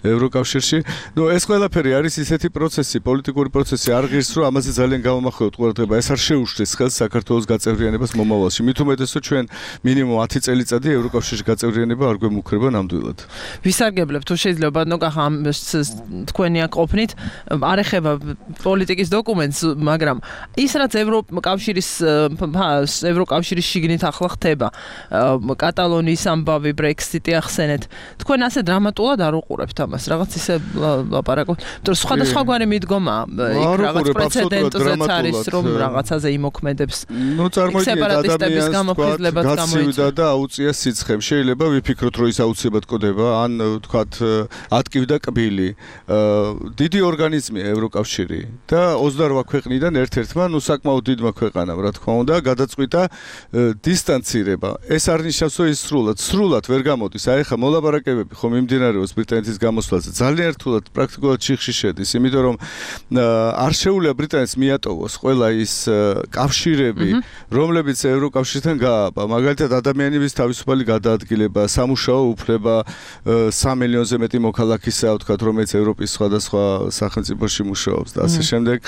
ევროკავშირში. ნუ ეს ყველაფერი არის ისეთი პროცესი, პოლიტიკური პროცესი, არ ღირს რომ ამაზე ძალიან გამომახვილოთ ყურადღება, ეს არ შეუშლის ხელს საქართველოს გაწევრიანებას მომავალში. მით უმეტესად ჩვენ მინიმუმ ათი წელიწადი ევროკავშირში გაწევრიანება არ გვემუქრება ნამდვილად. ვისარგებლებ თუ შეიძლება ნოკახა თქვენი აქ ყოფნით, არ ეხება პოლიტიკის დოკუმენტს, მაგრამ ის რაც ევროკავშირის ევროკავშირის შიგნით ახლა ხდება, კატალონიის ამბავი, ბრექსიტი ახსენეთ. თქვენ ასე დრამატულად არ უყურებთ ამას, რაღაც ისე ლაპარაკობთ. თუ სხვადასხვაგვარი მიდგომა, იქ რაღაც პრეცედენტზეც არის, რომ რაღაცაზე იმოქმედებს. ნუ წარმოიდგინეთ ადამიანს გაცივდა და აუწია სიცხემ. შეიძლება ვიფიქროთ, რომ ის აუცილებლად ყდება, ან თქვათ ატკივდა კბილი. დიდი ორგანიზმია ევროკავშირი და ოცდაორ ქვეყნიდან ერთ-ერთმა, ნუ საკმაოდ დიდმა ქვეყანამ, რა თქმა უნდა, გადაწყვიტა დისტანცირება. ეს არ ნიშნავს, რომ ის სრულად, სრულად ვერ გამოდის. აი ხა მოლაპარაკებები ხომ მიმდინარეობს ბრიტანეთის გამოსვლაზე. ძალიან რთულად პრაქტიკულად ჩიხში შედის, იმიტომ რომ არ შეუძლია ბრიტანეთს მიატოვოს ყველა ის კავშირები, რომლებიც ევროკავშირთან გააბა. მაგალითად, ადამიანების თავისუფალი გადაადგილება, სამუშაო უფლება, სამი მილიონზე მეტი მოქალაქისაა, ვთქვათ, რომელიც ევროპის სხვადასხვა სახელმწიფოში მუშაობს და ასე შემდეგ.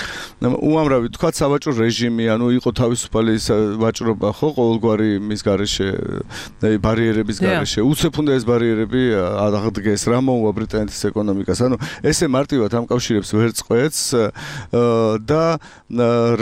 უამრავი, ვთქვათ, სავაჭრო რეჟიმი, ანუ იყო თავისუფალი ვაჭრობა, ხო, ყოველგვარი მის გარეშე, ბარიერების გარეშე. უცებ უნდა ეს ბარიერები აღდგეს, რა მოუვა ბრიტანეთის ეკონომიკას. ანუ ესე მარტივად ამ კავშირებს ვერ წყვეტს და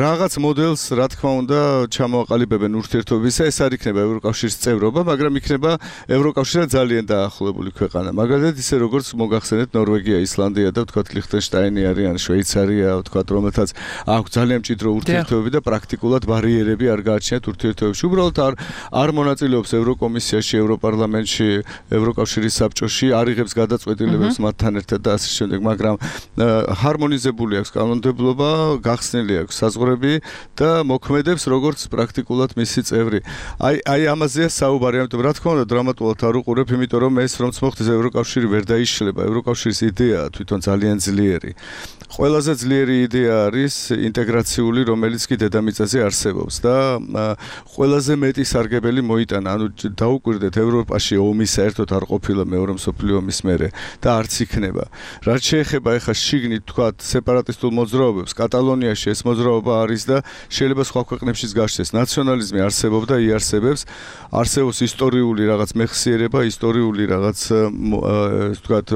რაღაც მოდელს, რა თქმა უნდა, ჩამოაყალიბებენ ურთიერთობისა, ეს არ იქნება ევროკავშირის წევრობა, მაგრამ იქნება ევროკავშირთან ძალიან დაახლოებული ქვეყანა. მაგალითად, ისე როგორც მოგახსენეთ ნორვეგია, ისლანდია და ვთქვათ ლიხტენშტაინი არიან, შვეიცარია, ვთქვათ, რომელთაც აქვს ძალიან მჭიდრო ურთიერთობები და პრაქტიკულად ბარიერები არ გააჩნიათ ურთიერთობებში. უბრალოდ არ არ მონაწილეობს ევროკომისიაში, ევროპარლამენტში, ევროკავშირის საბჭოში, არ იღებს გადაწყვეტილებებს მათთან ერთად და ასე შემდეგ, მაგრამ მაგრამ ჰარმონიზებული აქვს კანონმდებლობა, გახსნილი აქვს საზღვრები და მოქმედებს როგორც პრაქტიკულად მისი წევრი. აი აი ამაზეა საუბარი, ამიტომ რა თქმა უნდა დრამატულად არ უყურებ, იმიტომ რომ ეს რომც მოხდეს ევროკავშირი ვერ დაიშლება. ევროკავშირის იდეაა თვითონ ძალიან ძლიერი. ყველაზე ძლიერი იდეა არის ინტეგრაციული, რომელიც კი დედამიწაზე არსებობს და ყველაზე მეტი სარგებელი მოიტანა. ანუ დაუკვირდეთ, ევროპაში ომი საერთოდ არ ყოფილა მეორე მსოფლიო ომის მერე და არც იქნება. რაც შეეხება ეხა შიგნით თქვა სეპარატისტულ მოძრაობებს, კატალონიაში ეს მოძრაობა არის და შეიძლება სხვა ქვეყნებშიც გაშდეს. ნაციონალიზმი არსებობდა, იარსებებს, არსებობს ისტორიული რაღაც მეხსიერება, ისტორიული რაღაც ვთქვათ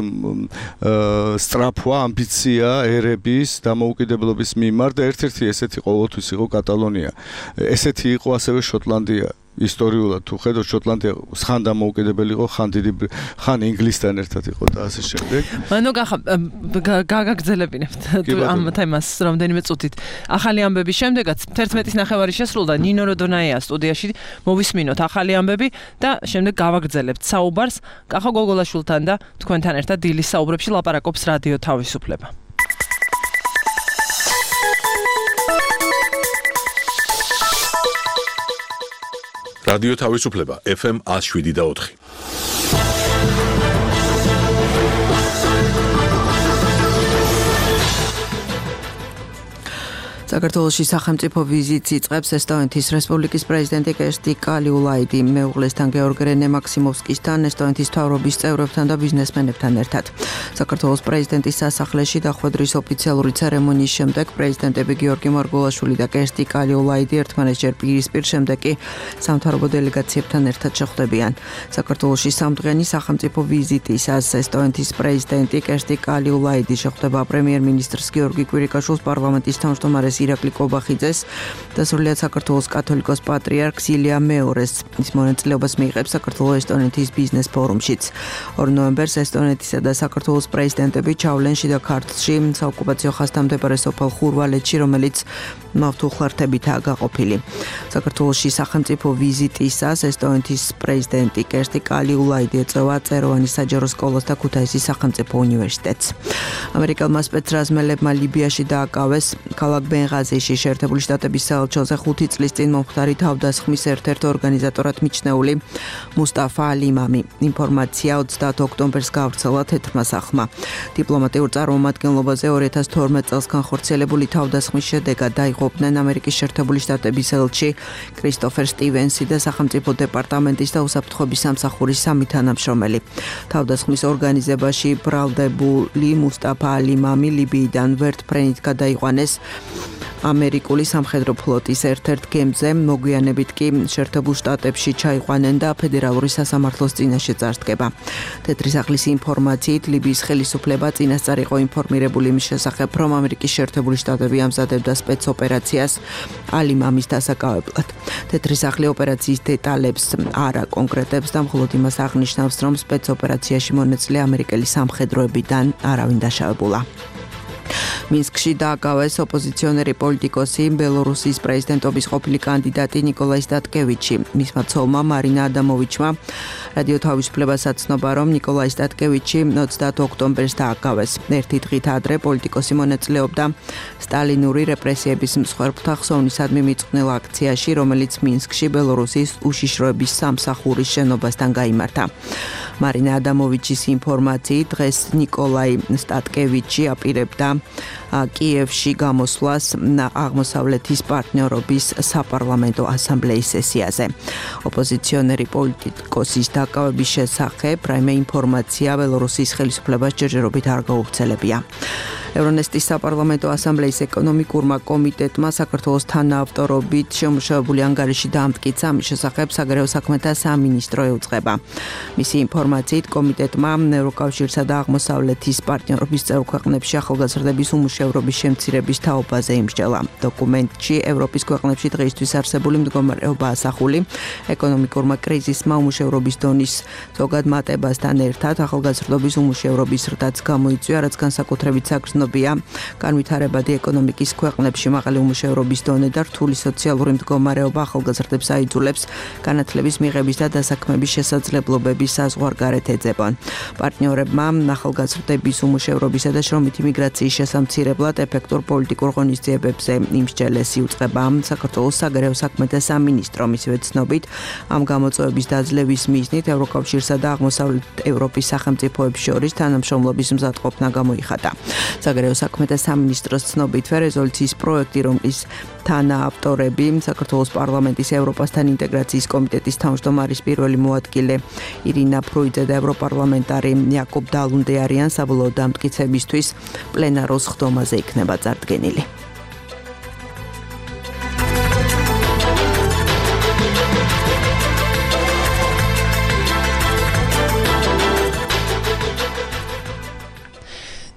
სტრაფვა, ამბიცია ერების დამოუკიდებლობის მიმართ და ერთ-ერთი ესეთი ყოველთვის იყო კატალონია. ესეთი იყო ასევე შოტლანდია. ისტორიულად თუ ხედავთ შოტლანდია ხან დამოუკიდებელი იყო, ხან დიდი ხან ინგლისთან ერთად იყო და ასე შემდეგ. ანუ გაგაგზელებინებთ ამ თემას რამდენიმე წუთით. ახალი ამბების შემდეგაც თერთმეტის ნახევარი შესრულდა ნინო როდონაია სტუდიაში მოვისმინოთ ახალი ამბები და შემდეგ გავაგრძელებთ საუბარს კახა გოგოლაშვილთან და თქვენთან ერთად დილის საუბრებში ლაპარაკობს რადიო თავისუფლება. რადიო თავისუფლება ეფ ემ one oh seven და four. საქართველოში სახელმწიფო ვიზიტს იწყებს ესტონეთის რესპუბლიკის პრეზიდენტი კერსტი კალიულაიდი მეუღლესთან გეორგ რენე მაქსიმოვსკისთან, ესტონეთის მთავრობის წევრებთან და ბიზნესმენებთან ერთად. საქართველოს პრეზიდენტის სასახლეში დახვედრის ოფიციალური ცერემონიის შემდეგ პრეზიდენტები გიორგი მარგულაშვილი და კერსტი კალიულაიდი ერთმანეთს პირისპირ შემდეგ კი სამთავრობო დელეგაციებთან ერთად შეხვდებიან. საქართველოში სამდღიანი სახელმწიფო ვიზიტისას ესტონეთის პრეზიდენტი კერსტი კალიულაიდი შეხვდება პრემიერ-მინისტრს გიორგი კვირიკაშვილს, პარლამენტის თავმჯდომარეს ირაკლი კობახიძეს და სრულიად საქართველოს კათოლიკოს პატრიარქს ილია მეორეს. ის მონაწილეობას მიიღებს საქართველოს-ესტონეთის ბიზნეს ფორუმშიც. ორ ნოემბერს ესტონეთისა და საქართველოს პრეზიდენტები ჩავლენ შიდა ქართლში, საოკუპაციო ხაზთან მდებარე სოფელ ხურვალეთში, რომელიც მავთულხლართებითაა გაყოფილი. საქართველოში სახელმწიფო ვიზიტისას ესტონეთის პრეზიდენტი კერსტი კალიულაიდი ეწევა წეროვანი საჯარო სკოლას და ქუთაისის სახელმწიფო უნივერსიტეტს. ამერიკელმა სპეცრაზმელებმა ლიბიაში დააკავეს ქალაქ ბენღაზიში შეერთებული შტატების საელჩოზე ხუთი წლის წინ მომხდარი თავდასხმის ერთ-ერთ ორგანიზატორად მიჩნეული მუსტაფა ალიმამი. ინფორმაცია ოცდაათ ოქტომბერს გავრცელა თეთრმა სახლმა. დიპლომატიურ წარმომადგენლობაზე ორი ათას თორმეტ წელს განხორციელებული თავდასხმის შედეგად დაიღუპნენ ამერიკის შეერთებული შტატების ელჩი კრისტოფერ სტივენსი და სახელმწიფო დეპარტამენტის და უსაფრთხოების სამსახურის სამი თანამშრომელი. თავდასხმის ორგანიზებაში ბრალდებული მუსტაფა ალიმამი ლიბიიდან ვერტფრენით გადაიყვანეს ამერიკული სამხედრო ფლოტის ერთ-ერთ გემზე, მოგვიანებით კი შეერთებულ შტატებში ჩაიყვანენ და ფედერალური სასამართლოს წინაშე წარსდგება. თეთრი სახლის ინფორმაციით ლიბიის ხელისუფლება წინასწარ იყო ინფორმირებული იმის შესახებ, რომ ამერიკის შეერთებული შტატები ამზადებდა სპეცოპერაციას ალიმამის დასაკავებლად. თეთრი სახლი ოპერაციის დეტალებს არ აკონკრეტებს და მხოლოდ იმას აღნიშნავს, რომ სპეცოპერაციაში მონაწილე ამერიკელი სამხედროებიდან არავინ დაშავებულა. მინსკში დააკავეს ოპოზიციონერი პოლიტიკოსი, ბელორუსიის პრეზიდენტობის ყოფილი კანდიდატი ნიკოლაი სტატკევიჩი. მისმა ცოლმა მარინა ადამოვიჩმა რადიო თავისუფლებას აცნობა, რომ ნიკოლაი სტატკევიჩი ოცდაათ ოქტომბერს დააკავეს. ერთი დღით ადრე პოლიტიკოსი მონაწილეობდა სტალინური რეპრესიების მსხვერპლთა ხსოვნისადმი მიწყვნილ აქციაში, რომელიც მინსკში ბელორუსის უშიშროების სამსახურის შენობასთან გაიმართა. მარინა ადამოვიჩის ინფორმაციით დღეს ნიკოლაი სტატკევიჩი აპირებდა კიევში გამოსვლას აღმოსავლეთის პარტნიორობის საპარლამენტო ასამბლეის სესიაზე. ოპოზიციონერი პოლიტიკოსის დაკავების შესახებ რაიმე ინფორმაცია ბელორუსის ხელისუფლებას ჯერჯერობით არ გაუვრცელებია. ევრონესტის საპარლამენტო ასამბლეის ეკონომიკურმა კომიტეტმა საქართველოს თანაავტორობით შემუშავებული ანგარიში დაამტკიცა, ამის შესახებ საგარეო საქმეთა სამინისტრო ეუწყება. მისი ინფორმაციით კომიტეტმა ევროკავშირსა და აღმოსავლეთის პარტნიორობის წევრ ქვეყნებში ახალგაზრდების უმუშევრობის შემცირების თაობაზე იმსჯელა. დოკუმენტში ევროპის ქვეყნებში დღეისთვის არსებული მდგომარეობა ასახული, ეკონომიკურმა კრიზისმა უმუშევრობის დონის ზოგად მატებასთან ერთად ახალგაზრდობის უმუშევრობის ზრდაც გამოიწვია, რაც განსაკუთრებით საგრძნო ცნობია. განვითარებადი ეკონომიკის ქვეყნებში მაღალი უმუშევრობის დონე და რთული სოციალური მდგომარეობა ახალგაზრდებს აიძულებს განათლების მიღების და დასაქმების შესაძლებლობების საზღვარგარეთ ეძებონ. პარტნიორებმა ახალგაზრდების უმუშევრობისა და შრომითი მიგრაციის შესამცირებლად ეფექტურ პოლიტიკურ ღონისძიებებზე იმსჯელესი უწყება. საქართველოს საგარეო საქმეთა სამინისტრო მისივე ცნობით ამ გამოწვევების დაძლევის მიზნით ევროკავშირსა და აღმოსავლეთ ევროპის სახელმწიფოებს შორის თანამშრომლობის მზადყოფნა გამოიხატა. საგარეო საქმეთა სამინისტროს ცნობითვე რეზოლუციის პროექტი, რომლის თანაავტორები საქართველოს პარლამენტის ევროპასთან ინტეგრაციის კომიტეტის თავმჯდომარის პირველი მოადგილე ირინა ფრუიძე და ევროპარლამენტარი იაკობ დალუნდე არიან, საბოლოო დამტკიცებისთვის პლენარულ სხდომაზე იქნება წარდგენილი.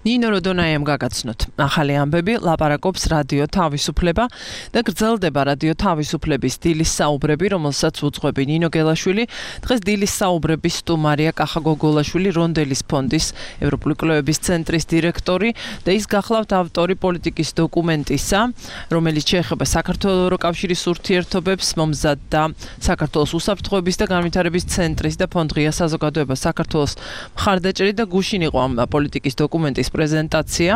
ნინო როდონაიამ გაგაცნოთ. ახალი ამბები ლაპარაკობს რადიო თავისუფლება და გრძელდება რადიო თავისუფლების დილის საუბრები, რომელსაც უძღვები ნინო გელაშვილი. დღეს დილის საუბრების სტუმარია კახა გოგოლაშვილი, რონდელის ფონდის ევროპული კვლევების ცენტრის დირექტორი და ის გახლავთ ავტორი პოლიტიკის დოკუმენტისა, რომელიც შეეხება საქართველოს ევროკავშირის ურთიერთობებს, მომზადდა საქართველოს უსაფრთხოების და განვითარების ცენტრის და ფონდ ღია საზოგადოება საქართველოს მხარდაჭერით და გუშინ იყო ამ პოლიტიკის დოკუმენტის პრეზენტაცია,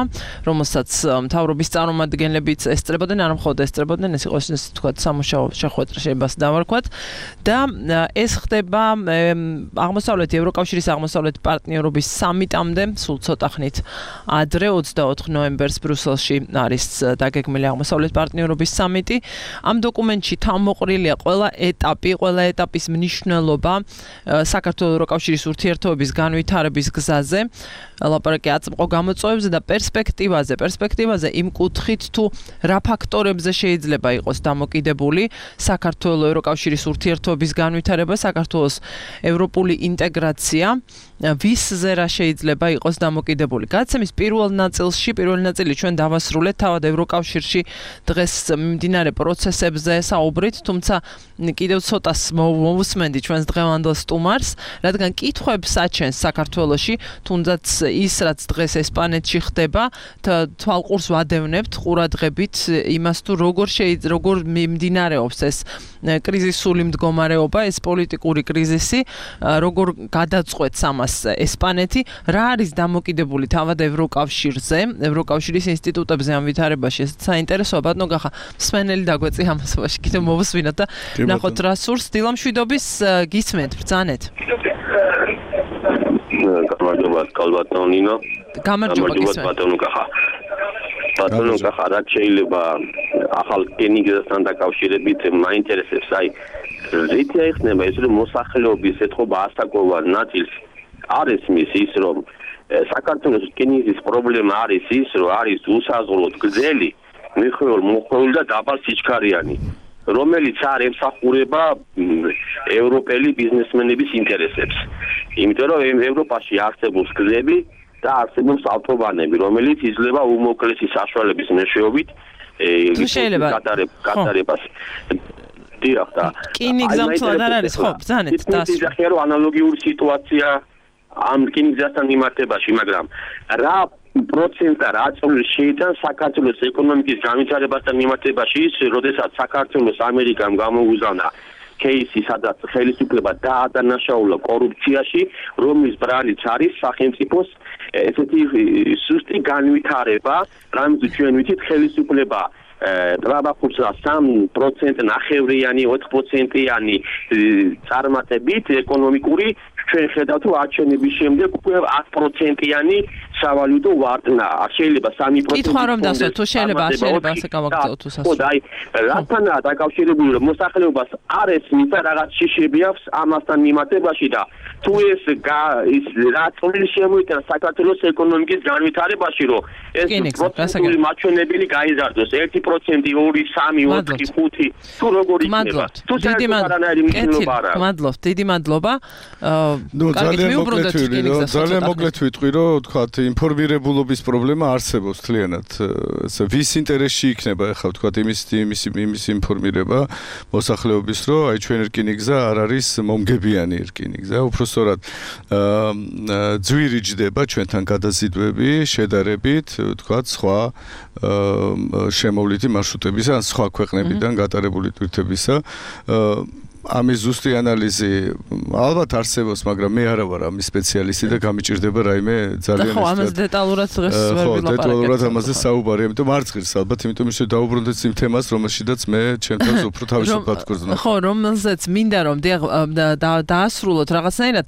რომელსაც მთავრობის წარმომადგენლებიც ესწრებოდნენ, არ მხოლოდ ესწრებოდნენ, ეს იყო ესე თქვა სამუშაო შეხვედრა შეიძლება დავარქვათ და ეს ხდება აღმოსავლეთ ევროკავშირის აღმოსავლეთ პარტნიორობის სამიტამდე, სულ ცოტა ხნით ადრე ოცდაოთხ ნოემბერს ბრიუსელში არის დაგეგმილი აღმოსავლეთ პარტნიორობის სამიტი. ამ დოკუმენტში თავმოყრილია ყველა ეტაპი, ყველა ეტაპის მნიშვნელობა საქართველოს ევროკავშირის ურთიერთობების განვითარების გზაზე. ლაპარაკი აწმყო გამოწვევებზე და პერსპექტივაზე, პერსპექტივაზე იმ კუთხით თუ რა ფაქტორებზე შეიძლება იყოს დამოკიდებული საქართველოს ევროკავშირის ურთიერთობების განვითარება, საქართველოს ევროპული ინტეგრაცია, ვისზე რა შეიძლება იყოს დამოკიდებული. გადაცემის პირველ ნაწილში, პირველი ნაწილი ჩვენ დავასრულეთ თავად ევროკავშირში დღეს მიმდინარე პროცესებზე საუბრით, თუმცა კიდევ ცოტას მოვუსმენდი ჩვენს დღევანდელ სტუმარს, რადგან კითხვებს აჩენს საქართველოში, თუნდაც ის რაც დღეს ესპანეთში ხდება, თვალყურს ვადევნებთ ყურადღებით იმას თუ როგორ შეიძლება როგორ მიმდინარეობს ეს კრიზისული მდგომარეობა, ეს პოლიტიკური კრიზისი, როგორ გადაწყვეტს ამას ესპანეთი, რა არის დამოკიდებული თავად ევროკავშირზე, ევროკავშირის ინსტიტუტებზე ამ ვითარებაში, ეს საინტერესოა, ბატონო გახა, მსმენელი დაგვეწი ამასობაში, კიდევ მოვუსვინოთ და ნახოთ რა სურს, დილამშვიდობის გისმენთ, ბრძანეთ. გამარჯობა, კალბატონო ნინო. გამარჯობა გისმენთ. ბატონო გახა. ბატონო გახა, რა შეიძლება ახალ კენიგესთან დაკავშირებით მაინტერესებს, აი რითი აიხსნება ეს რომ მოსახლეობის ეთყობა ასაკოვან ნაწილს არის მის ის რომ საქართველოს კენიგის პრობლემა არის ის რომ არის უსაზღვროდ გრძელი, მიხეულ მოხეულ და დაბალ სიჩქარიანი, რომელიც არ ემსახურება ევროპელი ბიზნესმენების ინტერესებს. იმიტომ რომ ევროპაში არსებობს გზები და არსებობს ავტობანები, რომელიც იძლევა უმოკლესი საშუალების მეშვეობით გატარებას. დიახ და კინიგზამთლად არ არის, ხო, ბრძანეთ დასრულდა. ეს ახლა ანალოგიური სიტუაცია ამ კინიგზასთან მიმართებაში, მაგრამ რა პროცენტა რა წვლილი შეიტანს საქართველოს ეკონომიკის განვითარებასთან მიმართებაში ის, როდესაც საქართველოს ამერიკამ გამოუგზავნა кейსი, სადაც ხელისუფლება დაადანაშაულა კორუფციაში, რომლის ბრალიც არის სახელმწიფოს ესეთი სუსტი განვითარება, რამაც ჩვენ ვიცით ხელისუფლება ტრაბახურსა სამი პროცენტი ნახევრიანი, ოთხ პროცენტიანი წარმატებით ეკონომიკური ჩვენ ხედავთ რომ არჩევნების შემდეგ უკვე ათი პროცენტიანი სავალუტო ვარდნა. შეიძლება სამი პროცენტი. კითხვა რომ დასვათ, თუ შეიძლება შეიძლება ასე გავაგრძელოთ თუ სასწაულს. ხო, აი, რათანაა დაკავშირებული რომ მოსახლეობას არ ესმის რაღაც შიშები აქვს ამასთან მიმართებაში და თუ ეს ის რა წვლილი შემოიტანს საქართველოს ეკონომიკის განვითარებაში, რომ ეს პროცენტული მაჩვენებელი გაიზარდოს ერთი პროცენტი, ორი, სამი, ოთხი, ხუთი, თუ როგორ იქნება. თუ საერთოდ მადლობთ, დიდი მადლობა. ნუ ძალიან მოკლედ ვიტყვი, რომ ძალიან მოკლედ ვიტყვი, რომ თქვათ ინფორმირებულობის პრობლემა არსებობს თლიანად. ვის ინტერესში იქნება ახლა ვთქვათ იმის იმის იმის ინფორმირება მოსახლეობის, რომ აი ჩვენ რკინიგზა არ არის მომგებიანი რკინიგზა, უბრალოდ ძვირი ჯდება ჩვენთან გადაზიდვები შედარებით, ვთქვათ, სხვა შემოვლითი მარშრუტებისა ან სხვა ქვეყნებიდან გატარებული ტვირთებისა. ამის ზუსტი ანალიზი ალბათ არსებობს, მაგრამ მე არა ვარ ამის სპეციალისტი და გამიჭირდება რაიმე ძალიან ხო, ამაზე დეტალურად დღეს ვერ ვილაპარაკებ. ხო, დეტალურად ამაზე საუბარი, ამიტომ არ წყირს ალბათ, იმიტომ რომ დავუბრუნდეთ იმ თემას, რომელშიც მე ჩემთვის უფრო თავისუფლად გრძნობ. ხო, რომელზეც მინდა რომ დაასრულოთ რაღაცნაირად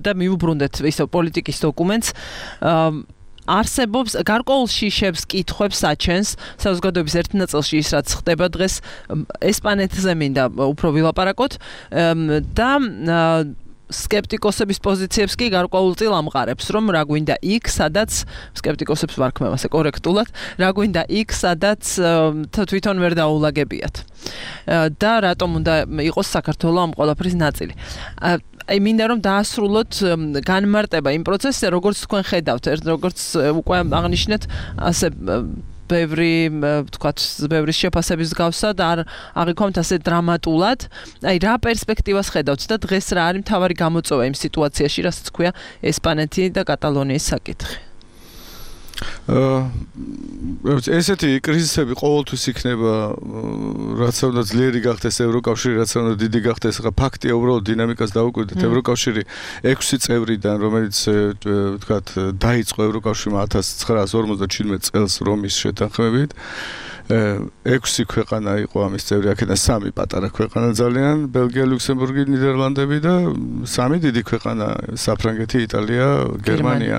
და მიუბრუნდეთ ისო პოლიტიკის დოკუმენტს. არსებობს გარკვეულ შიშებს კითხვებს აჩენს საზოგადოების ერთ ნაწილში ის რაც ხდება დღეს ესპანეთზე მინდა უფრო ვილაპარაკოთ და სკეპტიკოსების პოზიციებს კი გარკვეულწილ ამყარებს, რომ რა გვინდა იქ, სადაც სკეპტიკოსებს ვარქმევ ასე კორექტულად, რა გვინდა იქ, სადაც თვითონ ვერ დაულაგებიათ. და რატომ უნდა იყოს საქართველოს ამ ყველაფრის ნაწილი. აი მინდა რომ დაასრულოთ განმარტება იმ პროცესზე, როგორც თქვენ ხედავთ, როგორც უკვე აღნიშნეთ, ასე ბევრი, ვთქვათ, ბევრი შეფასების გავსა და არ აღიქვამთ ასე დრამატულად. აი რა პერსპექტივას ხედავთ და დღეს რა არის მთავარი გამოწვევა იმ სიტუაციაში, რასაც ქვია ესპანეთი და კატალონიის საკითხი. ესეთი კრიზისები ყოველთვის იქნება, რაც უნდა ძლიერი გახდეს ევროკავშირი, რაც უნდა დიდი გახდეს, ხა ფაქტია უბრალოდ დინამიკას დავუკვირდეთ. ევროკავშირი ექვსი წევრიდან, რომელიც ვთქვათ, დაიწყო ევროკავშირმა ათას ცხრაას ორმოცდაჩვიდმეტ წელს რომის შეთანხმებით. ექვსი ქვეყანა იყო ამის წევრი, აქედან სამი პატარა ქვეყანა ძალიან, ბელგია, ლუქსემბურგი, ნიდერლანდები და სამი დიდი ქვეყანა, საფრანგეთი, იტალია, გერმანია.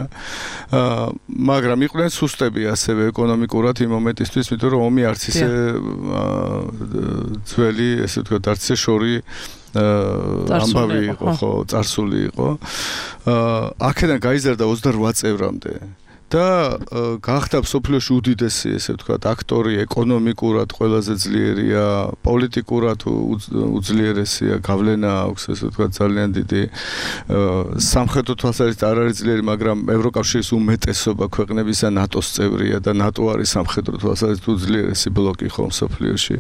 მაგრამ იყვნენ სუსტები ასევე ეკონომიკურად იმ მომენტისთვის, იმიტომ რომ ომი არც ისე ძველი, ესე ვთქვათ, არც ისე შორი ამბავი იყო, ხო, წარსული იყო. აქედან გაიზარდა ოცდარვა წევრამდე. და გახდა მსოფლიოში უდიდესი, ესე ვთქვათ, აქტორი, ეკონომიკურად ყველაზე ძლიერია, პოლიტიკურად უძლიერესია, გავლენა აქვს, ესე ვთქვათ, ძალიან დიდი. სამხედრო თვალსაზრისით არ არის ძლიერი, მაგრამ ევროკავშირის უმეტესობა ქვეყნებისა ნატოს წევრია და ნატო არის სამხედრო თვალსაზრისით უძლიერესი ბლოკი ხო მსოფლიოში.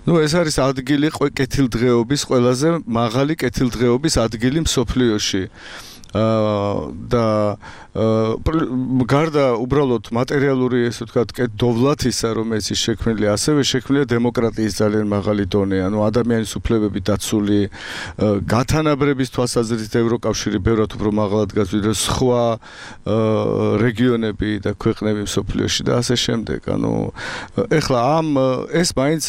ნუ ეს არის ადგილი კეთილდღეობის, ყველაზე მაღალი კეთილდღეობის ადგილი მსოფლიოში. და გარდა უბრალოდ მატერიალური, ესე ვთქვათ, დოვლათისა, რომელიც შექმნილია, ასევე შექმნილია დემოკრატიის ძალიან მაღალი დონე, ანუ ადამიანის უფლებები დაცული, გათანაბრების თვალსაზრისით ევროკავშირი ბევრად უფრო მაღალად დგას ვიდრე სხვა რეგიონები და ქვეყნები მსოფლიოში და ასე შემდეგ. ანუ ეხლა ამ ეს მაინც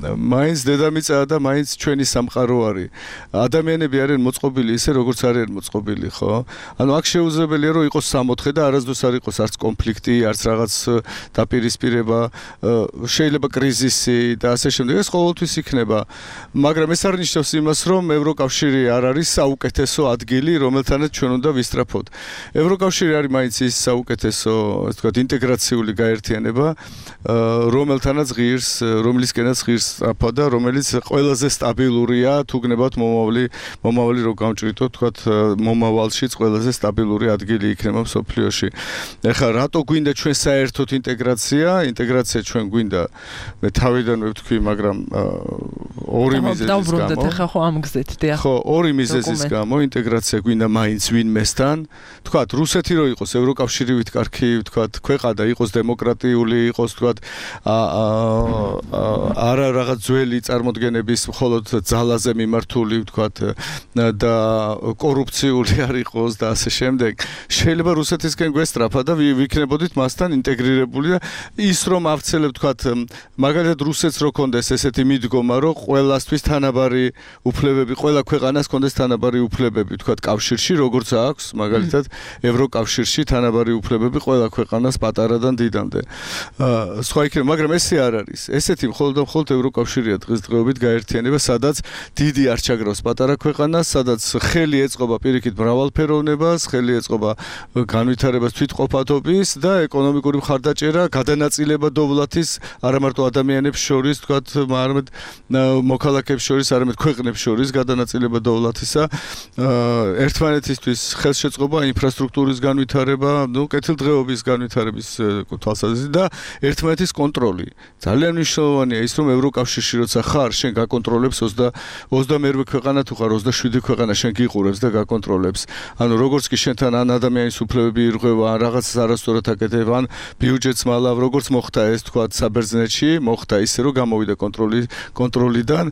მაინც დედამიწაა და მაინც ჩვენი სამყარო არის. ადამიანები არიან მოწყობილი ისე, როგორც არიან მოწყობილი, ხო? ანუ აქ შეუძლებელია, რომ იყოს სამოთხე და არასდროს არ იყოს არც კონფლიქტი, არც რაღაც დაპირისპირება, შეიძლება კრიზისი და ასე შემდეგ. ეს ყოველთვის იქნება. მაგრამ ეს არ ნიშნავს იმას, რომ ევროკავშირი არ არის საუკეთესო ადგილი, რომელთანაც ჩვენ უნდა ვისწრაფოთ. ევროკავშირი არის მაინც ის საუკეთესო, ასე ვთქვათ, ინტეგრაციული გაერთიანება, რომელთანაც ღირს, რომლისკენაც ღირს სწრაფა და რომელიც ყველაზე სტაბილურია, თუ გნებავთ მომავალი, მომავალი რო გამჭრიტოთ, თქვათ, მომავალშიც ყველაზე სტაბილური ადგილი იქნება მსოფლიოში. ეხლა რატო გვინდა ჩვენ საერთოდ ინტეგრაცია? ინტეგრაცია ჩვენ გვინდა, მე თავიდანვე ვთქვი, მაგრამ ორი მიზეზის გამო. დავბრუნდეთ ახლა ხო ამ გზით, დიახ. ხო, ორი მიზეზის გამო ინტეგრაცია გვინდა მაინც ვინმესთან. თქვათ, რუსეთი რო იყოს ევროკავშირივით კარგი, თქვათ, ქვეყანა იყოს დემოკრატიული, იყოს, თქვათ, არა რაღაც ძველი წარმოდგენების მხოლოდ ძალაზე მიმართული, ვთქვათ, და კორუფციული არ იყოს და ასე შემდეგ. შეიძლება რუსეთისკენ გვესწრაფა და ვიქნებოდით მასთან ინტეგრირებული და ის რომ ავცელებ, ვთქვათ, მაგალითად რუსეთს რო კონდეს ესეთი მიდგომა, რომ ყველასთვის თანაბარი უფლებები, ყველა ქვეყანას კონდეს თანაბარი უფლებები, ვთქვათ, კავშირში, როგორც აქვს, მაგალითად, ევროკავშირში თანაბარი უფლებები ყველა ქვეყანას პატარადან დიდამდე. სხვა იქნება, მაგრამ ესე არ არის. ესეთი მხოლოდ და მხოლოდ ევროკავშირია დღესდღეობით გაერთიანება, სადაც დიდი არ ჩაგრავს პატარა ქვეყანას, სადაც ხელი ეწყობა პირიქით მრავალფეროვნებას, ხელი ეწყობა განვითარებას თვითყოფადობის და ეკონომიკური მხარდაჭერა, გადანაწილება დოვლათის არა მარტო ადამიანებს შორის, თქვათ, არამედ მოქალაქეებს შორის, არამედ ქვეყნებს შორის გადანაწილება დოვლათისა, ერთმანეთისთვის ხელშეწყობა, ინფრასტრუქტურის განვითარება, ნუ კეთილდღეობის განვითარების თვალსაზრისით და ერთმანეთის კონტროლი. ძალიან მნიშვნელოვანია ის, რომ ევროკავშირში როცა ხარ, შენ გაკონტროლებს ოცდამეერთე ქვეყანა თუ ხარ ოცდაშვიდი ქვეყანა, შენ გიყურებს და გაკონტროლებს. ანუ როგორც კი შენთან ან ადამიანის უფლებები ირღვევა, ან რაღაცას არასწორად აკეთებ, ან ბიუჯეტს მალავ, როგორც მოხდა ეს, თქვათ, საბერძნეთში, მოხდა ისე, რომ გამოვიდა კონტროლი კონტროლიდან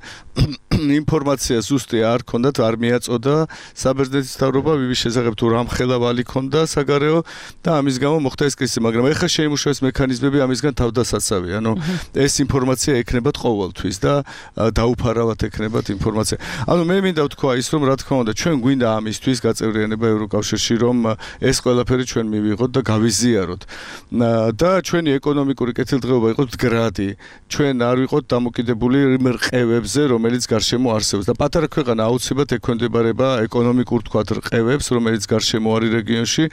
ინფორმაცია ზუსტი არ ქონდათ, არ მიაწოდა საბერძნეთის მთავრობა ვივის შესახებ თუ რამ ხელავალი ქონდა საგარეო და ამის გამო მოხდა ეს კრიზისი, მაგრამ ეხლა შეიმუშავეს მექანიზმები ამისგან თავდასაცავი. ანუ ეს ინფორმაცია ექნებათ ყოველთვის და დაუფარავად ექნებათ ინფორმაცია. ანუ მე მინდა ვთქვა ის, რომ რა თქმა უნდა, ჩვენ გვინდა ამისთვის გაწევრიანება ევროკავშირში, რომ ეს ყველაფერი ჩვენ მივიღოთ და გავიზიაროთ. და ჩვენი ეკონომიკური კეთილდღეობა იყოს მდგრადი. ჩვენ არ ვიყოთ დამოკიდებული რყევებზე, რომელიც გარშემო არსებობს და პატარა ქვეყანა აუცილებლად ექვემდებარება ეკონომიკურ თქვათ რყევებს, რომელიც გარშემო არის რეგიონში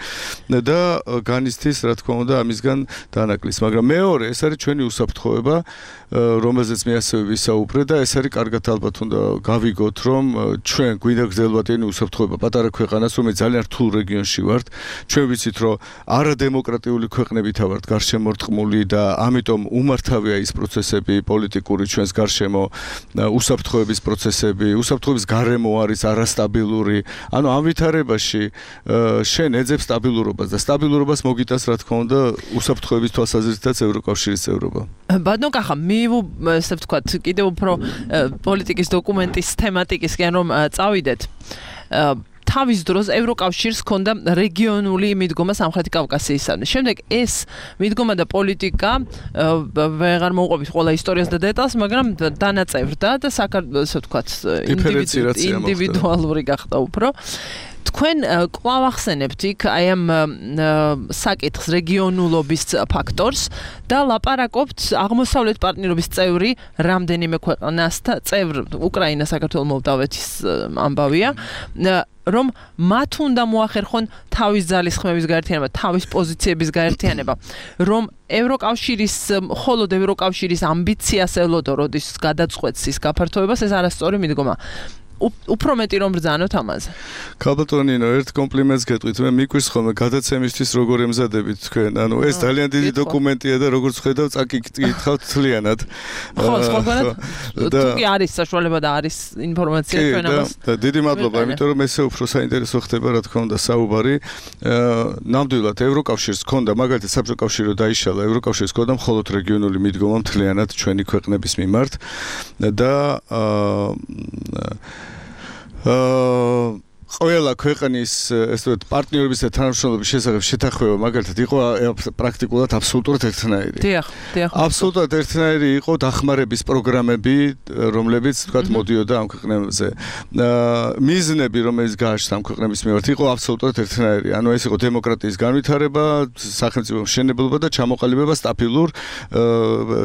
და განიცდის, რა თქმა უნდა, ამისგან დანაკლის. მაგრამ მეორე, ეს არის ჩვენი უსაფრთხოება, რომელზეც მე ასევე ვისაუბრე და ეს არის კარგად ალბათ უნდა გავიგოთ, რომ ჩვენ გვინდა გრძელვადიანი უსაფრთხოება პატარა ქვეყანას, რომელიც ძალიან რთულ რეგიონში ვართ. ჩვენ ვიცით, რომ არადემოკრატიული ქვეყნებითა ვართ გარშემორტყმული და ამიტომ უმართავია ის პროცესები პოლიტიკური ჩვენს გარშემო, უსაფრთხოების პროცესები, უსაფრთხოების გარემო არის არასტაბილური. ანუ ამ ვითარებაში შენ ეძებ სტაბილურობას და სტაბილურობას მოგიტანს, რა თქმა უნდა, უსაფრთხოების თვალსაზრისითაც ევროკავშირის წევრობა. ბატონო კახა, მე ესე ვთქვათ, კიდევ უფრო პოლიტიკის დოკუმენტის თემატიკისკენ რომ წავიდეთ. თავის დროს ევროკავშირს ჰქონდა რეგიონული მიდგომა სამხრეთი კავკასიისადმი. შემდეგ ეს მიდგომა და პოლიტიკა ვეღარ მოუყვებით ყველა ისტორიას და დეტალს, მაგრამ დანაწევრდა და საქართველოს ასე ვთქვათ, ინდივიდუალური გახდა უფრო. თქვენ კვლავ ახსენებთ იქ აი ამ საკითხს რეგიონულობის ფაქტორს და ლაპარაკობთ აღმოსავლეთ პარტნიორობის წევრი რამდენიმე ქვეყნასთან, წევრ უკრაინა, საქართველო, მოლდავეთის ამბავია, რომ მათ უნდა მოახერხონ თავის ძალისხმების გაერთიანება, თავის პოზიციების გაერთიანება, რომ ევროკავშირის, მხოლოდ ევროკავშირის ამბიციას ელოდო, როდის გადაწყვეტს ის გაფართოებას, ეს არასწორი მიდგომა. უფრო მეტი რომ ბრძანოთ ამაზე. ქალბატონინო, ერთ კომპლიმენტს გეტყვით, მე მიკვირს ხოლმე გადაცემისთვის როგორ ემზადებით თქვენ. ანუ ეს ძალიან დიდი დოკუმენტია და როგორც ხედავ, წაკითხავთ თლიანად. ხო, სხვაგანად თუ კი არის საშუალება და არის ინფორმაცია ჩვენ ამას. და დიდი მადლობა, იმიტომ რომ ესე უფრო საინტერესო ხდება, რა თქმა უნდა, საუბარი. ნამდვილად ევროკავშირს ჰქონდა, მაგალითად საბჭოთა კავშირი დაიშალა, ევროკავშირს ჰქონდა მხოლოდ რეგიონული მიდგომა მთლიანად ჩვენი ქვეყნების მიმართ და აა ყველა ქვეყნის ესე ვთქვათ პარტნიორების და თანამშრომლობის შესახებ შეთანხმება მაგალითად იყო პრაქტიკულად აბსოლუტურად ერთნაირი. დიახ, დიახ. აბსოლუტურად ერთნაირი იყო დახმარების პროგრამები, რომლებიც ვთქვათ მოდიოდა ამ ქვეყნებზე. მიზნები, რომელიც გააჩნდა ამ ქვეყნების მიმართ, იყო აბსოლუტურად ერთნაირი. ანუ ეს იყო დემოკრატიის განვითარება, სახელმწიფო მშენებლობა და ჩამოყალიბება სტაბილურ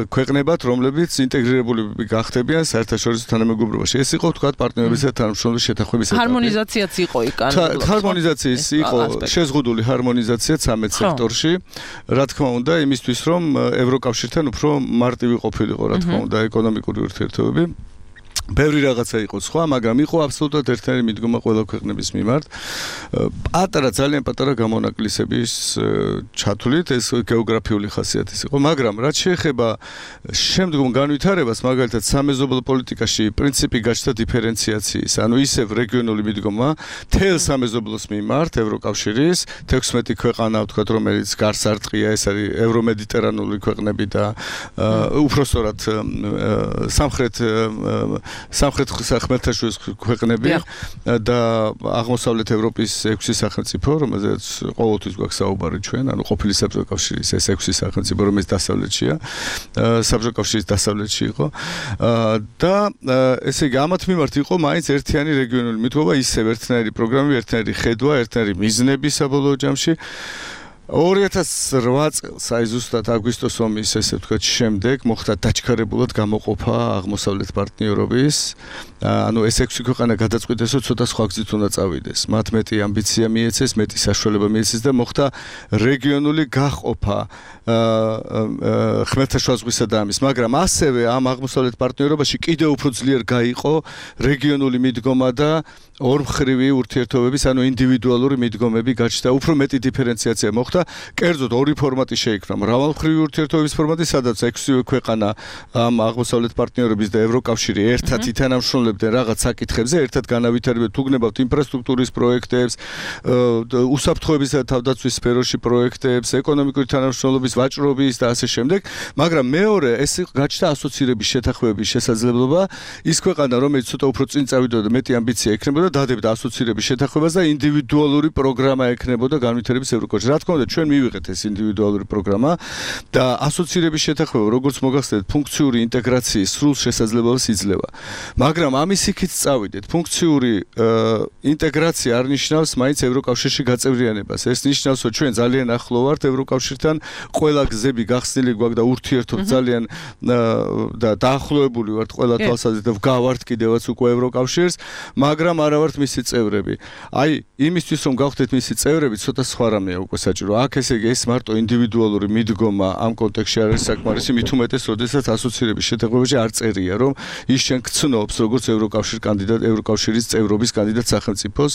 ქვეყნებად, რომლებიც ინტეგრირებული გახდებიან საერთაშორისო თანამეგობრობაში. ეს იყო ვთქვათ პარტნიორების და თანამშრომლობის შეთანხმების ეტაპი. ჰარმონიზაციაც იყო იქ ან ჰარმონიზაციის იყო შეზღუდული ჰარმონიზაცია ცამეტ სექტორში, რა თქმა უნდა, იმისთვის რომ ევროკავშირთან უფრო მარტივი ყოფილიყო, რა თქმა უნდა, ეკონომიკური ურთიერთობები. ბევრი რაღაცა იყო სხვა, მაგრამ იყო აბსოლუტურად ერთნაირი მიდგომა ყველა ქვეყნების მიმართ. პატარა, ძალიან პატარა გამონაკლისების ჩათვლით, ეს გეოგრაფიული ხასიათის იყო, მაგრამ რაც შეეხება შემდგომ განვითარებას, მაგალითად სამეზობლო პოლიტიკაში პრინციპი გაჩნდა დიფერენციაციის, ანუ ისევ რეგიონული მიდგომა თელ სამეზობლოს მიმართ ევროკავშირის თექვსმეტი ქვეყანა, ვთქვათ, რომელიც გარს არტყია, ეს არის ევრომედიტერანული ქვეყნები და უпростоრად სამხრეთ სამხრეთ ხმელთაშუაზღვის ქვეყნები და აღმოსავლეთ ევროპის ექვსი სახელმწიფო, რომელზეც ყოველთვის გვაქვს საუბარი ჩვენ, ანუ ყოფილი საბჭოთა კავშირის ეს ექვსი სახელმწიფო, რომელიც დასავლეთშია, საბჭოთა კავშირის დასავლეთში იყო და ესე იგი ამათ მიმართ იყო მაინც ერთიანი რეგიონული მიდგომა, ისევ ერთნაირი პროგრამები, ერთნაირი ხედვა, ერთნაირი მიზნები საბოლოო ჯამში. ორი ათას რვა წელს, აი ზუსტად აგვისტოს ომის ესე ვთქვათ შემდეგ მოხდა დაჩქარებულად გამოყოფა აღმოსავლეთ პარტნიორობის. ანუ ეს ექვსი ქვეყანა გადაწყვიტეს, რომ ცოტა სხვა გზით უნდა წავიდეს. მათ მეტი ამბიცია მიეცეს, მეტი საშუალება მიეცეს და მოხდა რეგიონული გაყოფა ხმელთაშუა ზღვისა და ამის, მაგრამ ასევე ამ აღმოსავლეთ პარტნიორობაში კიდევ უფრო ძლიერ გაიყო რეგიონული მიდგომა და ორმხრივი ურთიერთობების, ანუ ინდივიდუალური მიდგომები გაჩნდა, უფრო მეტი დიფერენციაცია მოხდა. კერძოდ ორი ფორმატი შეიქმნა, მრავალმხრივი ურთიერთობების ფორმატი, სადაც ექვსი ქვეყანა ამ აღმოსავლეთ პარტნიორების და ევროკავშირი ერთად ითანამშრომლებდნენ რაღაც საკითხებზე, ერთად განავითარებდნენ, თუ გნებავთ ინფრასტრუქტურის პროექტებს, უსაფრთხოების და თავდაცვის სფეროში პროექტებს, ეკონომიკური თანამშრომლობის, ვაჭრობის და ასე შემდეგ, მაგრამ მეორე ეს გაჩნდა ასოცირების შეთანხმების შესაძლებლობა, ის ქვეყანა, რომელიც ცოტა უფრო წინ წავიდოდა და მეტი ამბიცია ექნებოდა, დადებდა ასოცირების შეთანხმებას და ინდივიდუალური პროგრამა ექნებოდა განვითარების ევროკავშირში. რა თქმა უნდა, ჩვენ მივიღეთ ეს ინდივიდუალური პროგრამა და ასოცირების შეთანხმება, როგორც მოგახსენეთ, ფუნქციური ინტეგრაციის სრულ შესაძლებლობას იძლევა. მაგრამ ამის იქით წავიდეთ. ფუნქციური ინტეგრაცია არ ნიშნავს მაინც ევროკავშირში გაწევრიანებას. ეს ნიშნავს, რომ ჩვენ ძალიან ახლო ვართ ევროკავშირთან, ყველა გზები გახსნილი გვაქვს და ურთიერთობთ ძალიან და დაახლოებული ვართ ყველა თვალსაზრისით და ვგავართ კიდევაც უკვე ევროკავშირს, მაგრამ არა ვართ მისი წევრები. აი, იმისთვის რომ გავხდეთ მისი წევრები, ცოტა სხვა რამეა უკვე საჭირო. აქ ესე იგი ეს მარტო ინდივიდუალური მიდგომა ამ კონტექსტში არ არის საკმარისი, მით უმეტეს, როდესაც ასოცირების შეთანხმებაში არ წერია, რომ ის შენ გცნობს როგორც ევროკავშირის კანდიდატ, ევროკავშირის წევრობის კანდიდატ სახელმწიფოს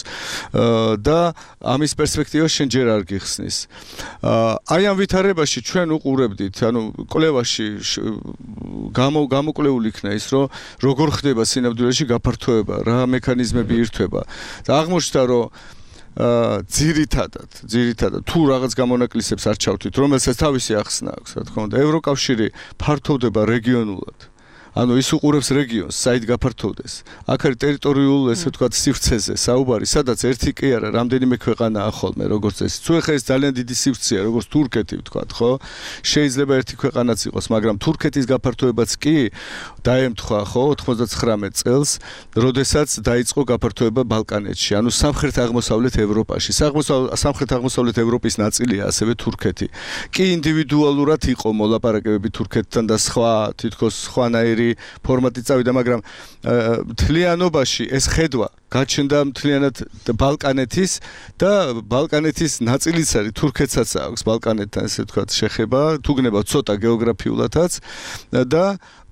და ამის პერსპექტივა შენ ჯერ არ გიხსნის. აი ამ ვითარებაში ჩვენ უყურებდით, ანუ კვლევაში გამო გამოკვლეული იქნა ის, რომ როგორ ხდება სინამდვილეში გაფართოება, რა მექანიზმები ირთვება. და აღმოჩნდა, რომ აა ძირითადად, ძირითადად თუ რაღაც გამონაკლისებს არ ჩავთვით, რომელსაც თავისი ახსნა აქვს, რა თქმა უნდა, ევროკავშირი ფართოვდება რეგიონულად. ანუ ის უყურებს რეგიონს, საით გაფართოვდეს. აქ არის ტერიტორიულ, ესე ვთქვათ, სივრცეზე საუბარი, სადაც ერთი კი არა, რამდენიმე ქვეყანაა ხოლმე, როგორც ეს. თუ ეხლა ეს ძალიან დიდი სივრცეა, როგორც თურქეთი ვთქვათ, ხო? შეიძლება ერთი ქვეყანაც იყოს, მაგრამ თურქეთის გაფართოებაც კი დაემთხვა, ხო, ოთხმოცდაცხრამეტ წელს, როდესაც დაიწყო გაფართოება ბალკანეთში, ანუ სამხრეთ-აღმოსავლეთ ევროპაში. სამხრეთ-აღმოსავლეთ ევროპის ნაწილია ასევე თურქეთი. კი ინდივიდუალურად იყო მოლაპარაკებები თურქეთთან და სხვა, თითქოს სხვანაირი ფორმატი წავიდა, მაგრამ მთლიანობაში ეს ხედვა გაჩნდა მთლიანად ბალკანეთის და ბალკანეთის ნაწილიც არის, თურქეთსაც აქვს ბალკანეთთან, ესე ვთქვათ, შეხება, თუ გნებავთ ცოტა გეოგრაფიულადაც და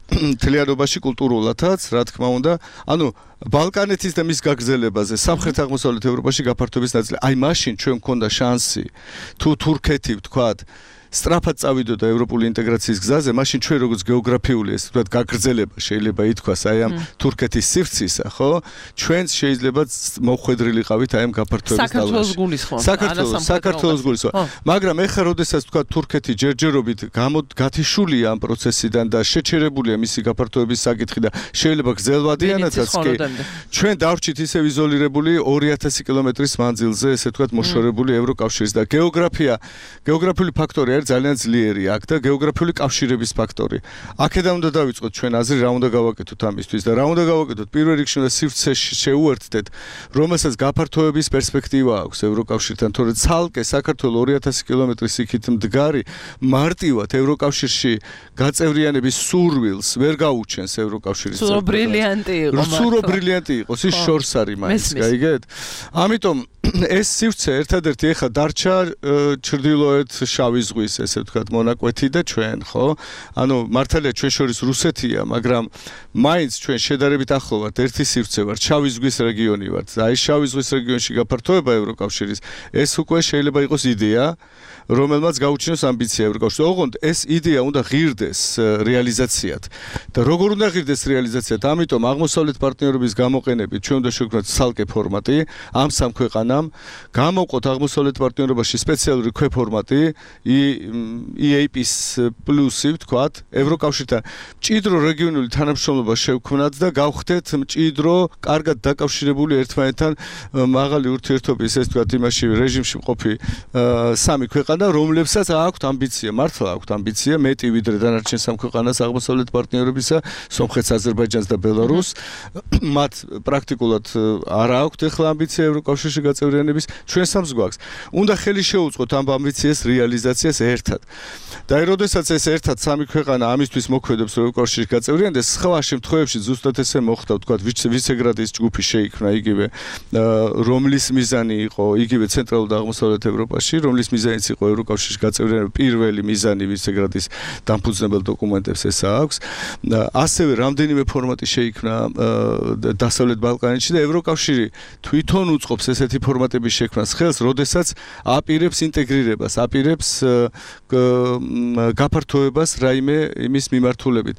მთლიანობაში კულტურულადაც, რა თქმა უნდა, ანუ ბალკანეთის და მის გაგრძელებაზე სამხრეთ-აღმოსავლეთ ევროპაში გაფართოების ნაწილი. აი მაშინ ჩვენ გვქონდა შანსი, თუ თურქეთი ვთქვათ, სწრაფად წავიდოდა ევროპული ინტეგრაციის გზაზე, მაშინ ჩვენ როგორც გეოგრაფიული, ესე ვთქვათ, გაგრძელება შეიძლება ითქვას აი ამ თურქეთის სივრცისა, ხო? ჩვენც შეიძლება მოხვედრილიყავით აი ამ გაფართოების დალაში. საქართველოს გულისხმობ. საქართველოს, საქართველოს გულისხმობ. მაგრამ ეხლა როდესაც ვთქვათ, თურქეთი ჯერჯერობით გამოგათიშულია ამ პროცესიდან და შეჩერებულია მისი გაფართოების საკითხი და შეიძლება გრძელვადიანაცაც კი ჩვენ დავრჩით ისევ იზოლირებული ორი ათასი კილომეტრის მანძილზე, ესე ვთქვათ, მოშორებული ევროკავშირის და გეოგრაფია, გეოგრაფიული ფაქტორი ძალიან ძლიერი აქ და გეოგრაფიული კავშირების ფაქტორი. აქედან უნდა დავიწყოთ ჩვენ აზრი, რა უნდა გავაკეთოთ ამისთვის და რა უნდა გავაკეთოთ. პირველ რიგში უნდა სივრცეში შეუერთდეთ, რომელსაც გაფართოების პერსპექტივა აქვს ევროკავშირთან, თორე ცალკე საქართველოს ორი ათასი კილომეტრის იქით მდგარი მარტივად ევროკავშირში გაწევრიანების სურვილს ვერ გაუჩენს ევროკავშირის სურო ბრილიანტი იყო. სურო ბრილიანტი იყოს, ის შორს არის მაინც, გაიგეთ? ამიტომ ეს სივრცე ერთადერთი ეხა დარჩა ჩრდილოეთ შავი ზღვის, ესე ვთქვათ, მონაკვეთი და ჩვენ, ხო? ანუ მართალია ჩვენ შორის რუსეთია, მაგრამ მაინც ჩვენ შედარებით ახლო ვართ, ერთი სივრცე ვართ, შავი ზღვის რეგიონი ვართ. აი შავი ზღვის რეგიონში გაფართოება ევროკავშირის, ეს უკვე შეიძლება იყოს იდეა, რომელმაც გაუჩინოს ამბიცია ევროკავშირს. ოღონდ ეს იდეა უნდა ღირდეს რეალიზაციად. და როგორ უნდა ღირდეს რეალიზაციად? ამიტომ აღმოსავლეთ პარტნიორობის გამოყენებით ჩვენ უნდა შევქმნათ ცალკე ფორმატი ამ სამ ქვეყანამ, გამოვყოთ აღმოსავლეთ პარტნიორობაში სპეციალური ქვეფორმატი ი ეი პი-ის პლუსი, ვთქვათ, ევროკავშირთან მჭიდრო რეგიონული თანამშრომლობა შევქმნათ და გავხდეთ მჭიდრო, კარგად დაკავშირებული ერთმანეთთან მაღალი ურთიერთობის, ეს ვთქვათ, იმაში რეჟიმში მყოფი სამი ქვეყანა, რომლებსაც აქვთ ამბიცია, მართლა აქვთ ამბიცია, მეტი ვიდრე დანარჩენ სამ ქვეყანას აღმოსავლეთ პარტნიორებისა, სომხეთს, აზერბაიჯანს და ბელარუსს. მათ პრაქტიკულად არ აქვთ ახლა ამბიცია ევროკავშირში გაწევრიანების, ჩვენ სამს გვაქვს. უნდა ხელი შეუწყოთ ამ ამბიციას რეალიზაციას ერთად. და როდესაც ეს ერთად სამი ქვეყანა ამისთვის მოქმედებს ევროკავშირში გაწევრიანდეს, სხვა შემთხვევებში ზუსტად ესე მოხდა, ვთქვათ, ვიცეგრადის ჯგუფი შეიქმნა იგივე, რომლის მიზანი იყო იგივე ცენტრალურ და აღმოსავლეთ ევროპაში, რომლის მიზანიც იყო ევროკავშირში გაწევრიანება, პირველი მიზანი ვიცეგრადის დამფუძნებელ დოკუმენტებს ეს აქვს. ასევე რამდენიმე ფორმატი შეიქმნა დასავლეთ ბალკანეთში და ევროკავშირი თვითონ უწყობს ესეთი ფორმატების შექმნას ხელს, როდესაც აპირებს ინტეგრირებას, აპირებს გაფართოებას რაიმე იმის მიმართულებით.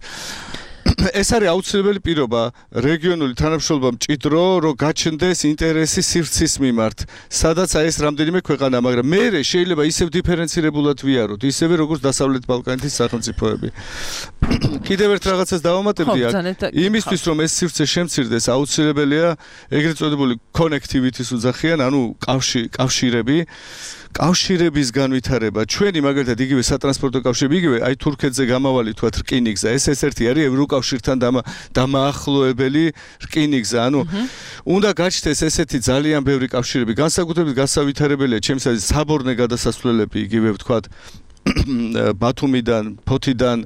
ეს არის აუცილებელი პირობა რეგიონული თანამშრომლობა მჭიდრო, რომ გაჩნდეს ინტერესი სივრცის მიმართ, სადაც აი ეს რამდენიმე ქვეყანა, მაგრამ მე შეიძლება ისევ დიფერენცირებულად ვიაროთ, ისევე როგორც დასავლეთ ბალკანეთის სახელმწიფოები. კიდევ ერთ რაღაცას დავამატებდი აქ, იმისთვის რომ ეს სივრცე შემცირდეს, აუცილებელია ეგრეთ წოდებული connectivity-ს უძახიან, ანუ კავშირი, კავშირები კავშირების განვითარება. ჩვენი მაგალითად იგივე სატრანსპორტო კავშირები, იგივე აი თურქეთზე გამავალი თქვა რკინიგზა, ეს ეს-ერთი არის ევროკავშირთან დამაახლოებელი რკინიგზა. ანუ უნდა გაჩნდეს ესეთი ძალიან ბევრი კავშირები, განსაკუთრებით გასავითარებელია ჩემს აზრით საბორნე გადასასვლელები, იგივე ვთქვათ ბათუმიდან, ფოთიდან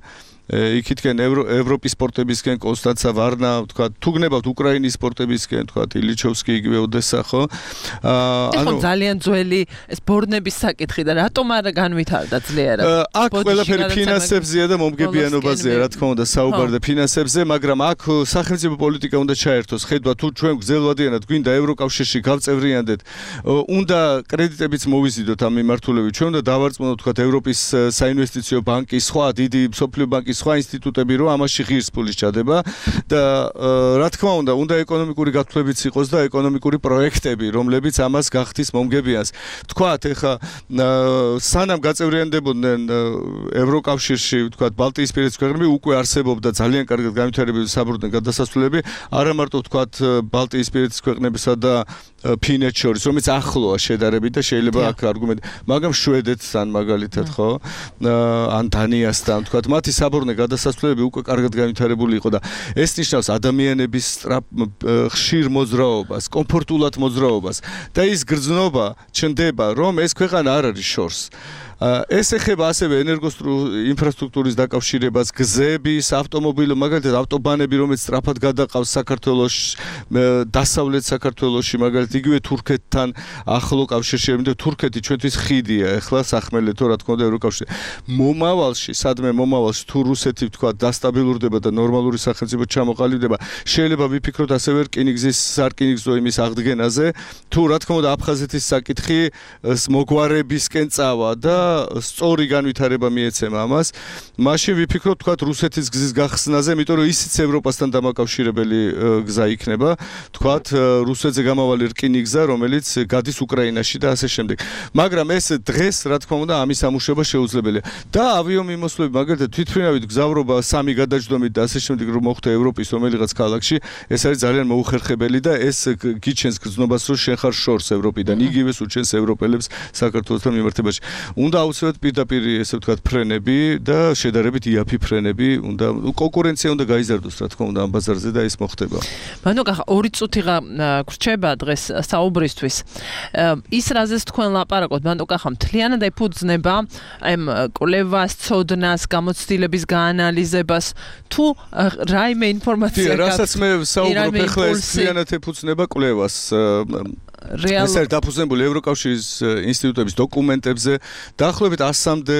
იქითკენ ევროპის პორტებისკენ კონსტანცა, ვარნა, ვთქვათ, თუ გნებავთ უკრაინის პორტებისკენ, ვთქვათ, ილიჩოვსკი, იგივე ოდესა, ხო? ანუ ძალიან ძველი ეს ბორნების საკითხი და რატომ არ განვითარდა ძლიერად? აქ ყველაფერი ფინანსებზეა და მომგებიანობაზეა, რა თქმა უნდა, საუბარი და ფინანსებზე, მაგრამ აქ სახელმწიფო პოლიტიკა უნდა ჩაერთოს. ხედვა, თუ ჩვენ გრძელვადიანად გვინდა ევროკავშირში გავწევრიანდეთ, უნდა კრედიტებიც მოვიზიდოთ ამ მიმართულებით. ჩვენ უნდა დავარწმუნოთ, ვთქვათ, ევროპის საინვესტიციო ბანკი, სხვა დიდი მსოფლიო ბანკი, სხვა ინსტიტუტები, რომ ამაში ღირს ფულის ჩადება და რა თქმა უნდა, უნდა ეკონომიკური გათვლებიც იყოს და ეკონომიკური პროექტები, რომლებიც ამას გახდის მომგებიანს. თქვათ, ეხა სანამ გაწევრიანდებოდნენ ევროკავშირში, ვთქვათ, ბალტიისპირეთის ქვეყნები, უკვე არსებობდა ძალიან კარგად განვითარებული საბორნე გადასასვლელები, არა მარტო ვთქვათ ბალტიისპირეთის ქვეყნებისა და ფინეთს შორის, რომელიც ახლოა შედარებით და შეიძლება აქ არგუმენტი, მაგრამ შვედეთთან მაგალითად, ხო? ან დანიასთან, ვთქვათ, მათი საბორნე გადასასვლელები უკვე კარგად განვითარებული იყო და ეს ნიშნავს ადამიანების ხშირ მოძრაობას, კომფორტულად მოძრაობას და ის გრძნობა ჩნდება, რომ ეს ქვეყანა არ არის შორს. ეს ეხება ასევე ენერგოინფრასტრუქტურის დაკავშირებას, გზების, ავტომობილო, მაგალითად ავტობანები, რომელიც სწრაფად გადაყავს საქართველოში, დასავლეთ საქართველოში, მაგალითად იგივე თურქეთთან ახლო კავშირში, იმიტომ თურქეთი ჩვენთვის ხიდია, ეხლა სახმელეთო, რა თქმა უნდა, ევროკავშირში. მომავალში, სადმე მომავალში თუ რუსეთი, ვთქვა, დასტაბილურდება და ნორმალური სახელმწიფო ჩამოყალიბდება, შეიძლება ვიფიქროთ ასევე რკინიგზის სარკინიგზო იმის აღდგენაზე, თუ რა თქმა უნდა აფხაზეთის საკითხი მოგვარებისკენ წავა და სწორი განვითარება მიეცემა ამას, მაშინ ვიფიქროთ, თქვათ, რუსეთის გზის გახსნაზე, იმიტომ რომ ისიც ევროპასთან დამაკავშირებელი გზა იქნება, თქვათ, რუსეთზე გამავალი რკინიგზა, რომელიც გადის უკრაინაში და ასე შემდეგ. მაგრამ ეს დღეს, რა თქმა უნდა, ამის ამუშავება შეუძლებელია. და ავიომიმოსვლები, მაგალითად, თვითმფრინავით გზავრობა სამი გადაჯდომით და ასე შემდეგ, რომ მოხდა ევროპის რომელიღაც ქალაქში, ეს არის ძალიან მოუხერხებელი და ეს გიჩენს გრძნობას, რომ შენ ხარ შორს ევროპიდან, იგივეს უჩენს ევროპელებს საქართველოსთან მიმართებაში. უნდა აუცილებლად პირდაპირ ესე ვთქვათ ფრენები და შედარებით იაფი ფრენები, უნდა კონკურენცია უნდა გაიზარდოს, რა თქმა უნდა, ამ ბაზარზე და ეს მოხდება. მანო კახა ორი წუთი გრჩება დღეს საუბრისთვის. ის რაზეც თქვენ ლაპარაკობთ, მანო კახა მთლიანად ეფუძნება აი კვლევას, ცოდნას, გამოცდილების გაანალიზებას, თუ რაიმე ინფორმაცია გაქვთ. რასაც მე საუბრობ ახლა ეს მთლიანად ეფუძნება კვლევას. რეალ ეს არის დაფუძნებული ევროკავშირის ინსტიტუტების დოკუმენტებზე, დაახლოებით ასამდე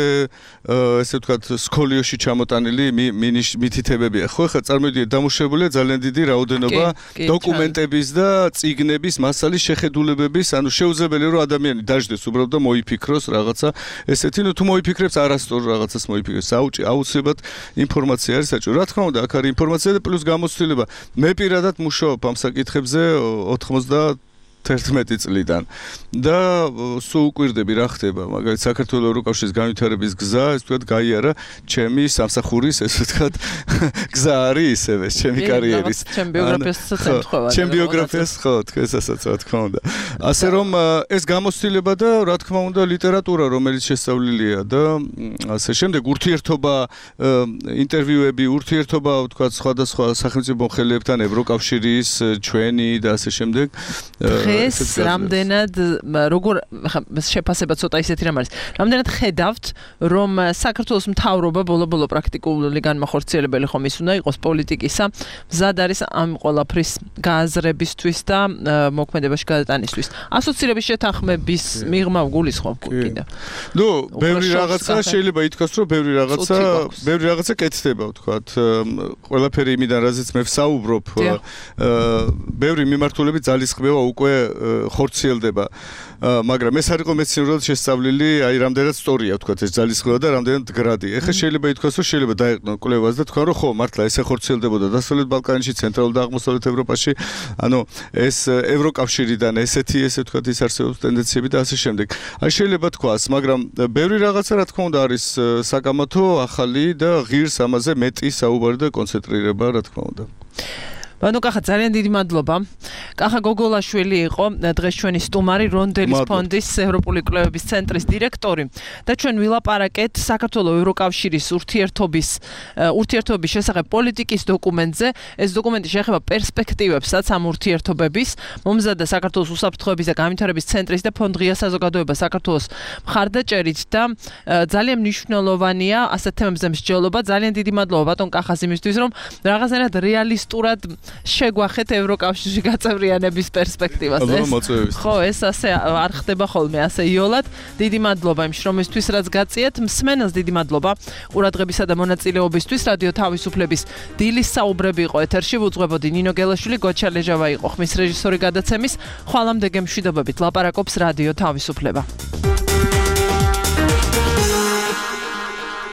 ესე ვთქვათ სკოლიოში ჩამოტანილი მითითებებია. ხო, ხა წარმოიდგინეთ, დამუშავებულია ძალიან დიდი რაოდენობა დოკუმენტების და წიგნების მასალის შეხედულებების, ანუ შეუძლებელია რომ ადამიანი დაждდეს უბრალოდ და მოიფიქროს რაღაცა ესეთი, ну თუ მოიფიქრებს არასწორ რაღაცას მოიფიქრებს, აუცილებლად ინფორმაცია არის საჭირო. რა თქმა უნდა, აქ არის ინფორმაცია და პლუს გამოცდილება. მე პირადად მუშაობ ამ საკითხებზე ოთხმოცდა თერთმეტი წლიდან და სულ უკვირდები რა ხდება, მაგალითად საქართველოს ევროკავშირის განვითარების გზა, ეს თქვათ გაიარა ჩემი სამსახურის, ესე ვთქვათ, გზა არის ისევე, ჩემი კარიერის. ჩემ ბიოგრაფიასაც ემთხვევა. ჩემ ბიოგრაფიას ხო, თქვენსაც რა თქმა უნდა. ასე რომ ეს გამოცდილება და რა თქმა უნდა ლიტერატურა, რომელიც შესწავლილია და ასე შემდეგ ურთიერთობა, ინტერვიუები, ურთიერთობა, ვთქვათ, სხვადასხვა სახელმწიფო მომხრეებთან, ევროკავშირის, ჩვენი და ასე შემდეგ. დღეს რამდენად როგორ შეფასება ცოტა ისეთი რამ არის. რამდენად ხედავთ, რომ საქართველოს მთავრობა ბოლო-ბოლო პრაქტიკული განმახორციელებელი ხომ ის უნდა იყოს პოლიტიკისა, მზად არის ამ ყველაფრის გააზრებისთვის და მოქმედებაში გადატანისთვის. ასოცირების შეთანხმების მიღმა გულისხმობ კიდევ. ნუ, ბევრი რაღაცა შეიძლება ითქვას, რომ ბევრი რაღაცა, ბევრი რაღაცა კეთდება, ვთქვათ. ყველაფერი იმიდან, რაზეც მე ვსაუბრობ, ბევრი მიმართულებით ძალისხმევა უკვე ხორციელდება. მაგრამ ეს არ იყო მეცნიერულად შესწავლილი, აი რამდენად სწორია ვთქვათ ეს ძალისხმევა და რამდენად გრადი. ეხლა შეიძლება ითქვას, რომ შეიძლება დაეყნო კვლევას და თქვა, რომ ხო, მართლა ესე ხორციელდებოდა დასავლეთ ბალკანეთში, ცენტრალურ და აღმოსავლეთ ევროპაში. ანუ ეს ევროკავშირიდან ესეთი, ესე ვთქვათ, ის არსებობს ტენდენციები და ასე შემდეგ. აი შეიძლება თქვას, მაგრამ ბევრი რაღაცა რა თქმა უნდა არის საკამათო, ახალი და ღირს ამაზე მეტი საუბარი და კონცენტრირება რა თქმა უნდა. ბანო კახა ძალიან დიდი მადლობა. კახა გოგოლაშვილი იყო დღეს ჩვენი სტუმარი, რონდელის ფონდის ევროპული კვლევების ცენტრის დირექტორი და ჩვენ ვილაპარაკეთ საქართველოს ევროკავშირის ურთიერთობის ურთიერთობის შესახებ პოლიტიკის დოკუმენტზე. ეს დოკუმენტი შეეხება პერსპექტივებსაც ამ ურთიერთობების. მომზადდა საქართველოს უსაფრთხოების და განვითარების ცენტრის და ფონდ ღია საზოგადოება საქართველოს მხარდაჭერით და ძალიან მნიშვნელოვანია ასეთ თემებზე მსჯელობა. ძალიან დიდი მადლობა ბატონ კახას იმისთვის, რომ რაღაცნაირად რეალისტურად შეგვახეთ ევროკავშირში გაწევრიანების პერსპექტივას. ხო, ეს ასე არ ხდება ხოლმე ასე იოლად. დიდი მადლობა იმ შრომისთვის, რაც გაწიეთ. მსმენელს დიდი მადლობა ყურადღებისა და მონაწილეობისთვის. რადიო თავისუფლების დილის საუბრები იყო ეთერში, ვუძღვებოდი ნინო გელაშვილი, გოჩა ლეჟავა იყო ხმის რეჟისორი გადაცემის. ხვალამდე გემშვიდობებით ლაპარაკობს რადიო თავისუფლება.